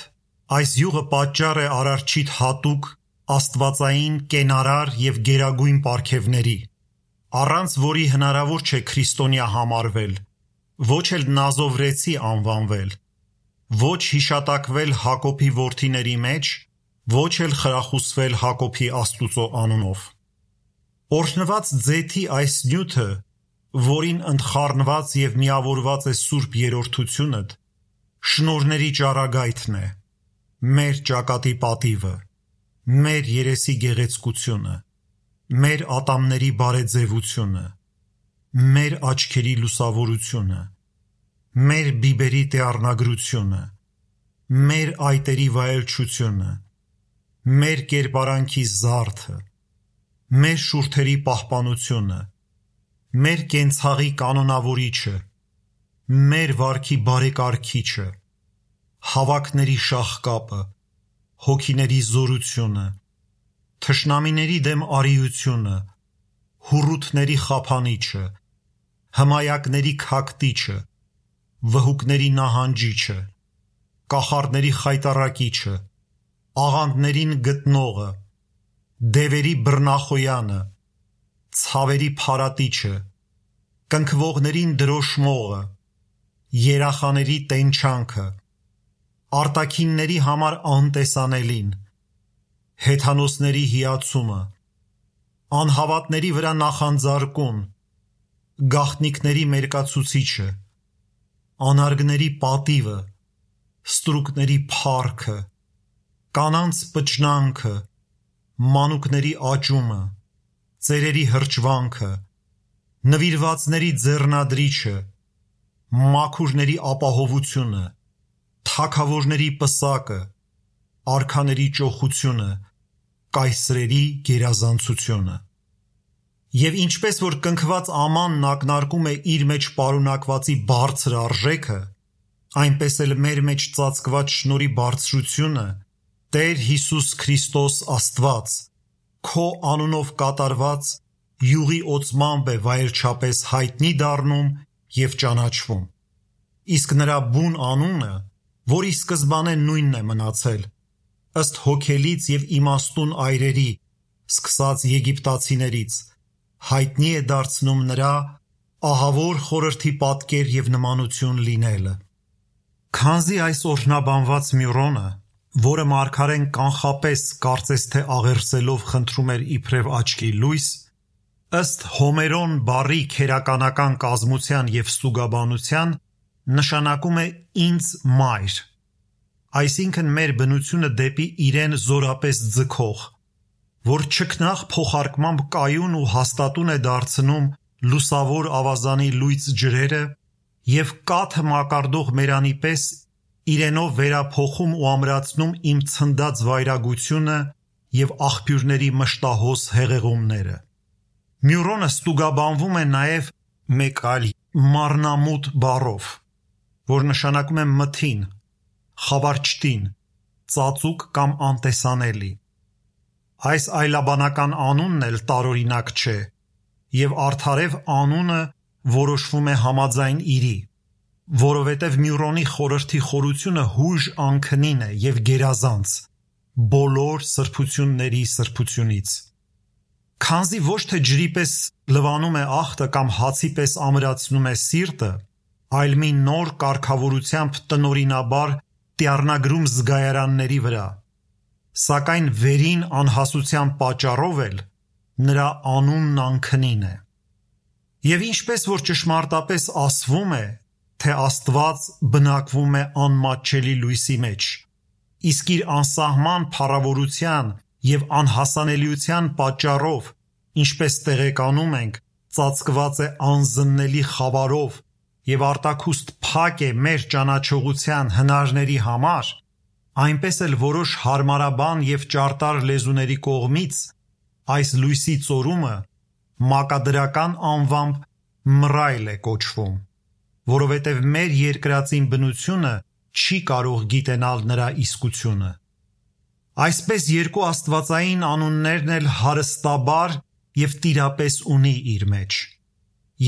այս յուղը պատճառ է Արարչիդ հատուկ աստվածային կենարար և գերագույն պարգևների, առանց որի հնարավոր չէ քրիստոնյա համարվել, ոչ էլ նազովրեցի անվանվել, ոչ հիշատակվել Հակոբի որդիների մեջ, ոչ էլ խրախուսվել Հակոբի Աստուծո անունով։ Օրհնված ձեթի այս նյութը, որին ընդխառնված և միավորված է Սուրբ Երրորդությունդ, շնորհների ճառագայթն է, մեր ճակատի պատիվը, մեր երեսի գեղեցկությունը, մեր ատամների բարեձևությունը, մեր աչքերի լուսավորությունը, մեր բիբերի դեղնագրությունը, մեր այտերի վայելչությունը, մեր կերպարանքի զարդը, մեր շուրթերի պահպանությունը, մեր կենցաղի կանոնավորիչը, մեր վարքի բարեկարգիչը, հավաքների շաղկապը, հոգիների զորությունը, թշնամիների դեմ արիությունը, հուռութների խափանիչը, հմայակների քակտիչը, վհուկների նահանջիչը, կախարդների խայտառակիչը, աղանդներին գտնողը, դևերի բռնախոյանը, ցավերի փարատիչը, կնքվողներին դրոշմողը, երախաների տենչանքը, արտաքինների համար անտեսանելին, հեթանոսների հիացումը, անհավատների վրա նախանձարկուն, գաղտնիքների մերկացուցիչը, անարգների պատիվը, ստրուկների փառքը, կանանց պճնանքը, մանուկների աճումը, ծերերի հրճվանքը, նվիրվածների ձեռնադրիչը, մաքուրների ապահովությունը, թագավորների պսակը, արքաների ճոխությունը, կայսրերի գերազանցությունը։ Եվ ինչպես որ կնքված ամանն ակնարկում է իր մեջ պարունակվածի բարձր արժեքը, այնպես էլ մեր մեջ ծածկված շնորհի բարձրությունը Տեր Հիսուս Քրիստոս Աստված քո անունով կատարված յուղի օծմամբ է վայելչապես հայտնի դառնում և ճանաչվում։ Իսկ նրա բուն անունը, որի սկզբանե նույնն է մնացել, ըստ հոգելից և իմաստուն այրերի, սկսած եգիպտացիներից, հայտնի է դարձնում նրա ահավոր խորհրդի պատկեր և նմանություն լինելը։ Քանզի այս օրհնաբանված Մյուրոնը, որը մարգարեն կանխապես կարծես թե աղերսելով խնդրում էր իբրև աչքի լույս, ըստ Հոմերոն բառի քերականական կազմության և ստուգաբանության նշանակում է ինձ մայր, այսինքն մեր բնությունը դեպի իրեն զորապես ձգող, որ չքնաղ փոխարկմամբ կայուն ու հաստատուն է դարձնում լուսավոր ավազանի լույծ ջրերը և կաթը մակարդող մերանի պես իրենով վերափոխում ու ամրացնում իմ ցնդած վայրագությունը և աղբյուրների մշտահոս հեղեղումները։ Մյուրոնը ստուգաբանվում է նաև մեկ այլ մառնամուտ բառով, որ նշանակում է մթին, խավարչտին, ծածուկ կամ անտեսանելի։ Այս այլաբանական անունն էլ տարօրինակ չէ, և արդարև անունը որոշվում է համաձայն իրի, որովհետև Մյուրոնի խորհրդի խորությունը հույժ անքնին է և գերազանց բոլոր սրբությունների սրբությունից։ Քանզի ոչ թե ջրի պես լվանում է ախտը կամ հացի պես ամրացնում է սիրտը, այլ մի նոր կարգավորությամբ տնօրինաբար տիառնագրում զգայարանների վրա, սակայն վերին անհասության պատճառով էլ նրա անունն անքնին է։ Եվ ինչպես որ ճշմարտապես ասվում է, թե Աստված բնակվում է անմատչելի լույսի մեջ, իսկ իր անսահման փառավորության և անհասանելիության պատճառով, ինչպես տեղեկանում ենք, ծածկված է անզննելի խավարով և արտաքուստ փակ է մեր ճանաչողության հնարների համար, այնպես էլ որոշ հարմարաբան և ճարտար լեզուների կողմից այս լույսի ծորումը մակադրական անվամբ մռայլ է կոչվում, որովհետև մեր երկրածին բնությունը չի կարող գիտենալ նրա իսկությունը։ Այսպես երկու աստվածային անուններն էլ հարստաբար և տիրապես ունի իր մեջ,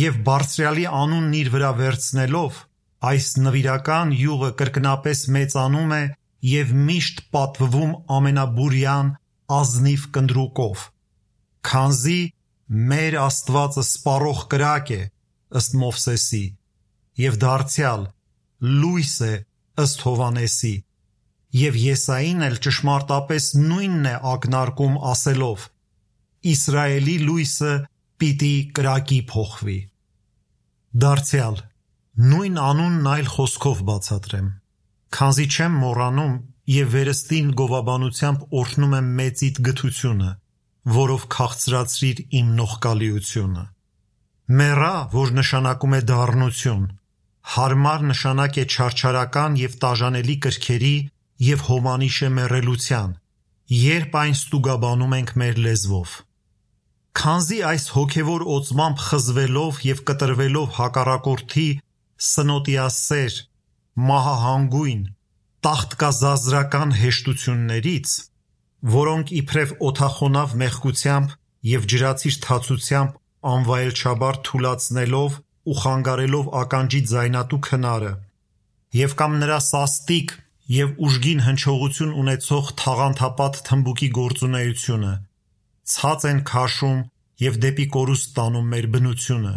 և բարձրյալի անունն իր վրա վերցնելով, այս նվիրական յուղը կրկնապես մեծանում է և միշտ պատվվում ամենաբուրյան ազնիվ կնդրուկով, քանզի մեր Աստվածը սպառող կրակ է, ըստ Մովսեսի, և դարձյալ լույս է, ըստ Հովհաննեսի, և Եսային էլ ճշմարտապես նույնն է ակնարկում ասելով. Իսրայելի լույսը պիտի կրակի փոխվի։ Դարձյալ նույն անունն այլ խոսքով բացատրեմ, քանզի չեմ մոռանում և վերստին գովաբանությամբ օրհնում եմ մեծիդ գթությունը, որով քաղցրացրիր իմ նողկալիությունը։ Մեռա, որ նշանակում է դառնություն, հարմար նշանակ է չարչարական և տաժանելի կրքերի և հոմանիշ է մեռելության, երբ այն ստուգաբանում ենք մեր լեզվով։ Քանզի այս հոգևոր օծմամբ խզվելով և կտրվելով հակառակորդի սնոտիասեր, մահահանգույն, տաղտկազազրական հեշտություններից, որոնք իբրև օդախոնավ մեղքությամբ և ջրածիր թացությամբ անվայելչաբար թուլացնելով ու խանգարելով ականջի ձայնատու քնարը և կամ նրա սաստիկ և ուժգին հնչողություն ունեցող թաղանթապատ թմբուկի գործունեությունը, ցած են քաշում և դեպի կորուստ տանում մեր բնությունը։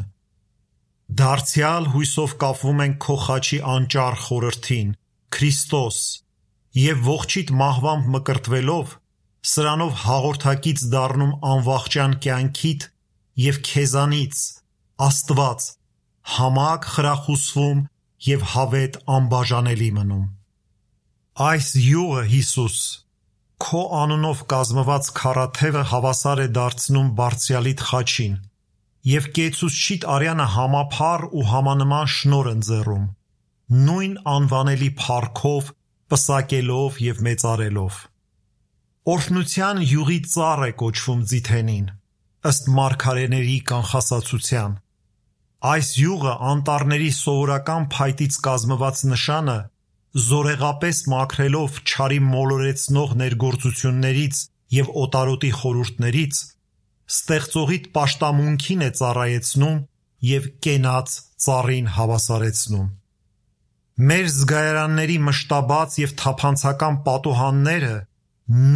Դարձյալ հույսով կապվում ենք քո խաչի անճառ խորհրդին, Քրիստոս, և ողջիդ մահվամբ մկրտվելով, սրանով հաղորդակից դառնում անվախճան կյանքիդ և քեզանից, Աստված, համակ խրախուսվում և հավետ անբաժանելի մնում։ Այս յուղը, Հիսուս, քո անունով կազմված քառաթևը հավասար է դարձնում Բարձրյալիդ խաչին և կեցուցչիդ արյանը համափառ ու համանման շնորհ ընձեռում, նույն անվանելի փառքով, պսակելով և մեծարելով։ Օրհնության յուղի ծառ է կոչվում Ձիթենին, ըստ մարգարեների կանխասացության։ Այս յուղը անտառների սովորական փայտից կազմված նշանը զորեղապես մաքրելով չարի մոլորեցնող ներգործություններից և օտարոտի խորհուրդներից, ստեղծողիդ պաշտամունքին է ծառայեցնում և կենաց ծառին հավասարեցնում։ Մեր զգայարանների մշտաբաց և թափանցական պատուհանները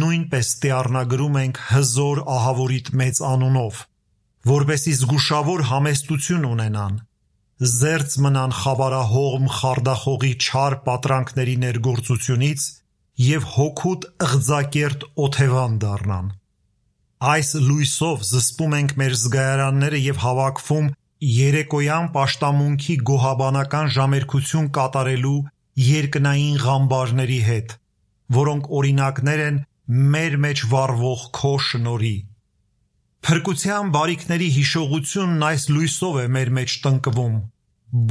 նույնպես ստիառնագրում ենք հզոր ահավորիդ մեծ անունով, որպեսզի զգուշավոր համեստություն ունենան, զերծ մնան խավարահողմ խարդախողի չար պատրանքների ներգործությունից և հոգուդ ըղձակերտ օթևան դառնան։ Այս լույսով զսպում ենք մեր զգայարանները և հավաքվում երեկոյան պաշտամունքի գոհաբանական ժամերգություն կատարելու երկնային ղամբարների հետ, որոնք օրինակներ են մեր մեջ վառվող քո շնորհի։ Փրկության բարիքների հիշողությունն այս լույսով է մեր մեջ տնկվում,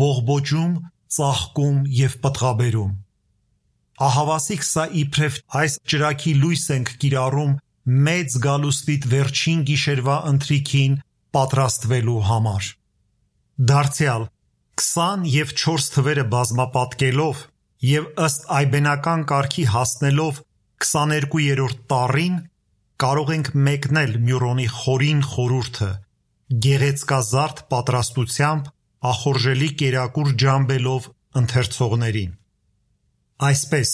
բողբոջում, ծաղկում և պտղաբերում։ Ահավասիկ սա իբրև այս ճրագի լույս ենք կիրառում մեծ գալուստիդ վերջին գիշերվա ընթրիքին պատրաստվելու համար։ Դարձյալ քսան և չորս թվերը բազմապատկելով և ըստ այբենական կարգի հասնելով քսաներկուերորդ տառին, կարող ենք մեկնել Մյուրոնի խորին խորհուրդը, գեղեցկազարդ պատրաստությամբ ախորժելի կերակուր ջամբելով ընթերցողներին։ Այսպես,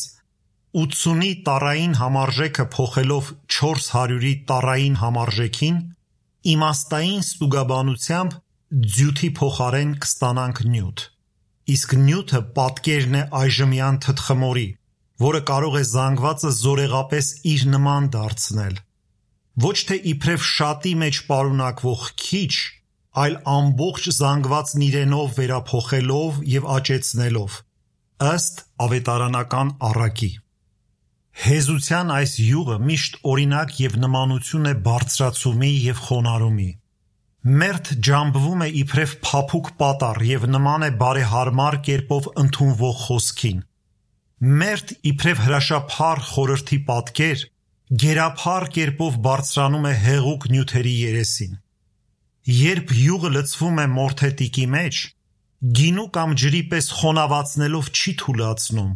ութսունի տառային համարժեքը փոխելով չորս հարյուրի տառային համարժեքին, իմաստային ստուգաբանությամբ ձյութի փոխարեն կստանանք նյութ, իսկ նյութը պատկերն է այժմյան թթխմորի, որը կարող է զանգվածը զորեղապես իր նման դարձնել, ոչ թե իբրև շատի մեջ պարունակվող քիչ, այլ ամբողջ զանգվածն իրենով վերափոխելով և աճեցնելով, ըստ ավետարանական առակի։ Հեզության այս յուղը միշտ օրինակ և նմանություն է բարձրացումի և խոնարհումի։ Մերթ ջամբվում է իբրև փափուկ պատառ և նման է բարեհարմար կերպով ընդունվող խոսքին։ Մերթ իբրև հրաշափառ խորհրդի պատկեր, գերափառ կերպով բարձրանում է հեղուկ նյութերի երեսին։ Երբ յուղը լցվում է մորթետիկի մեջ, գինու կամ ջրի պես խոնավացնելով չի թուլացնում,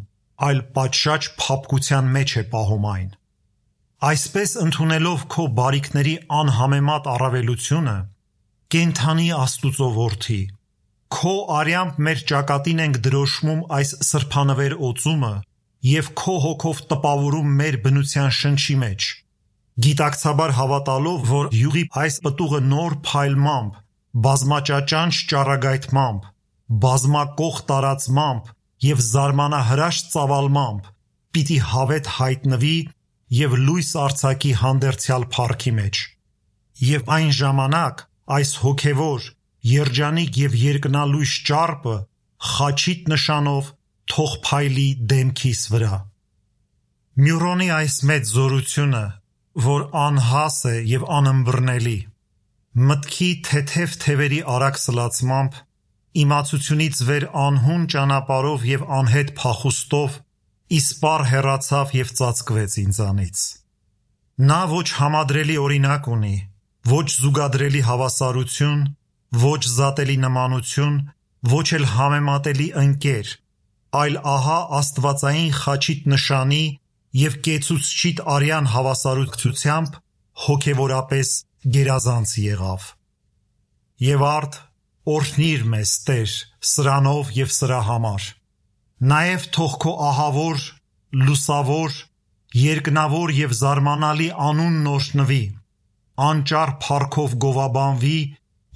այլ պատշաճ փափկության մեջ է պահում այն։ Այսպես ընդունելով քո բարիքների անհամեմատ առավելությունը, կենդանի Աստուծո որդի, քո արյամբ մեր ճակատին ենք դրոշմում այս սրբանվեր օծումը և քո հոգով տպավորում մեր բնության շնչի մեջ, գիտակցաբար հավատալով, որ յուղի այս պտուղը նոր փայլմամբ, բազմաճաճանչ ճառագայթմամբ, բազմակող տարածմամբ և զարմանահրաշ ծավալմամբ պիտի հավետ հայտնվի և լույս արձակի հանդերձյալ փառքի մեջ։ Եվ այն ժամանակ այս հոգևոր, երջանիկ և երկնալույս ճառպը խաչիդ նշանով թող փայլի դեմքիս վրա։ Մյուրոնի այս մեծ զորությունը, որ անհաս է և անըմբռնելի, մտքի թեթև թևերի արագ սլացմամբ, իմացությունից վեր անհուն ճանապարհով և անհետ փախուստով իսպառ հեռացավ և ծածկվեց ինձանից։ Նա ոչ համադրելի օրինակ ունի, ոչ զուգադրելի հավասարություն, ոչ զատելի նմանություն, ոչ էլ համեմատելի ընկեր, այլ ահա աստվածային խաչիտ նշանի և կեցուցչիտ արյան հավասարակցությամբ հոգևորապես գերազանց եղավ։ Եվ արդ օրհնիր մեզ, Տեր, սրանով և սրա համար։ Նաև թող քո ահավոր, լուսավոր, երկնավոր և զարմանալի անունն օրհնվի, անճար փառքով գովաբանվի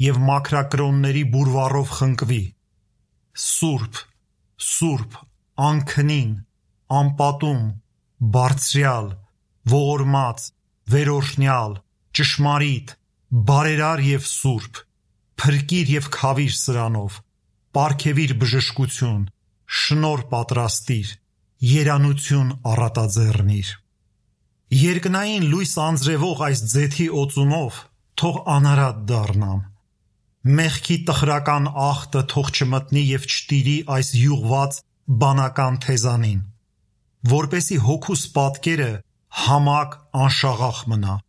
և մաքրակրոնների բուրվառով խնկվի։ Սուրբ, Սուրբ, անքնին, անպատում, բարձրյալ, ողորմած, վերօրհնյալ, ճշմարիտ, բարերար և սուրբ, փրկիր և քավիր սրանով, պարգևիր բժշկություն, շնորհ պատրաստիր, երանություն առատաձեռնիր։ Երկնային լույս անձրևող այս ձեթի օծումով թող անարատ դառնամ, մեղքի տխրական աղտը թող չմտնի և չտիրի այս յուղված բանական թեզանին, որպեսզի հոգուս պատկերը համակ անշաղախ մնա։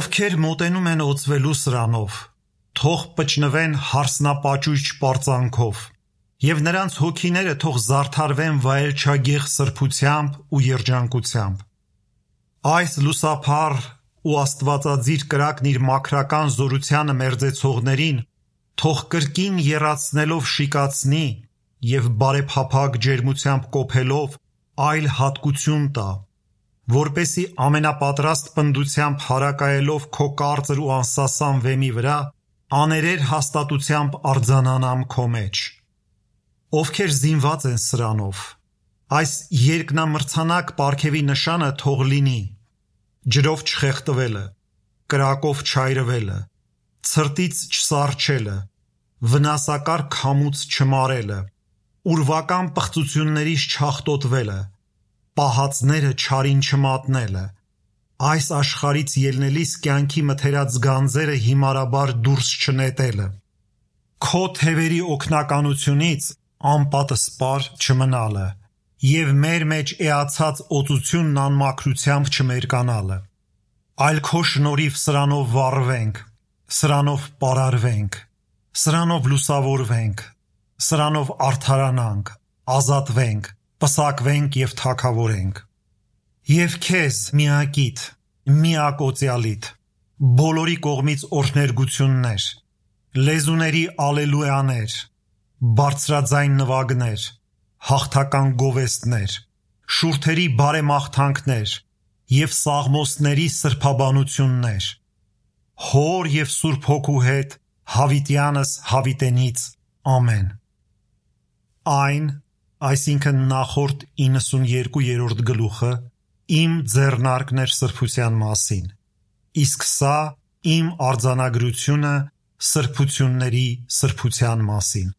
Ովքեր մոտենում են օծվելու սրանով, թող պճնվեն հարսնապաճույճ պարծանքով, և նրանց հոգիները թող զարդարվեն վայելչագեղ սրբությամբ ու երջանկությամբ։ Այս լուսափառ ու աստվածաձիր կրակն իր մաքրական զորությանը մերձեցողներին թող կրկին եռացնելով շիկացնի և բարեփափագ ջերմությամբ կոփելով այլ հատկություն տա, որպեսզի ամենապատրաստ պնդությամբ հարակայելով քո կարծր ու անսասան վեմի վրա աներեր հաստատությամբ արձանանամ քո մեջ։ Ովքեր զինված են սրանով, այս երկնամրցանակ պարգևի նշանը թող լինի ջրով չխեղդվելը, կրակով չայրվելը, ցրտից չսառչելը, վնասակար քամուց չմարելը, ուրվական պղծություններից չհաղթոտվելը, պահածները չարին չմատնելը, այս աշխարհից ելնելիս կյանքի մթերած գանձերը հիմարաբար դուրս չնետելը, քո թևերի օգնականությունից անպատը սպար չմնալը և մեր մեջ էացած օծությունն անմաքրությամբ չմերկանալը, այլ քո շնորհիվ սրանով վառվենք, սրանով պարարվենք, սրանով լուսավորվենք, սրանով արդարանանք, ազատվենք, պսակվենք և թագավորենք։ Եվ քեզ միակիդ, միակոծյալիդ, բոլորի կողմից օրհներգություններ, լեզուների ալելույաներ, բարձրաձայն նվագներ, հաղթական գովեստներ, շուրթերի բարեմաղթանքներ և սաղմոսների սրբաբանություններ, Հոր և Սուրբ Հոգու հետ հավիտյանս հավիտենից ամեն։ Այն, այսինքն նախորդ իննսունյերկուերորդ գլուխը իմ ձեռնարկն էր սրբության մասին, իսկ սա իմ արձանագրությունը սրբությունների սրբության մասին։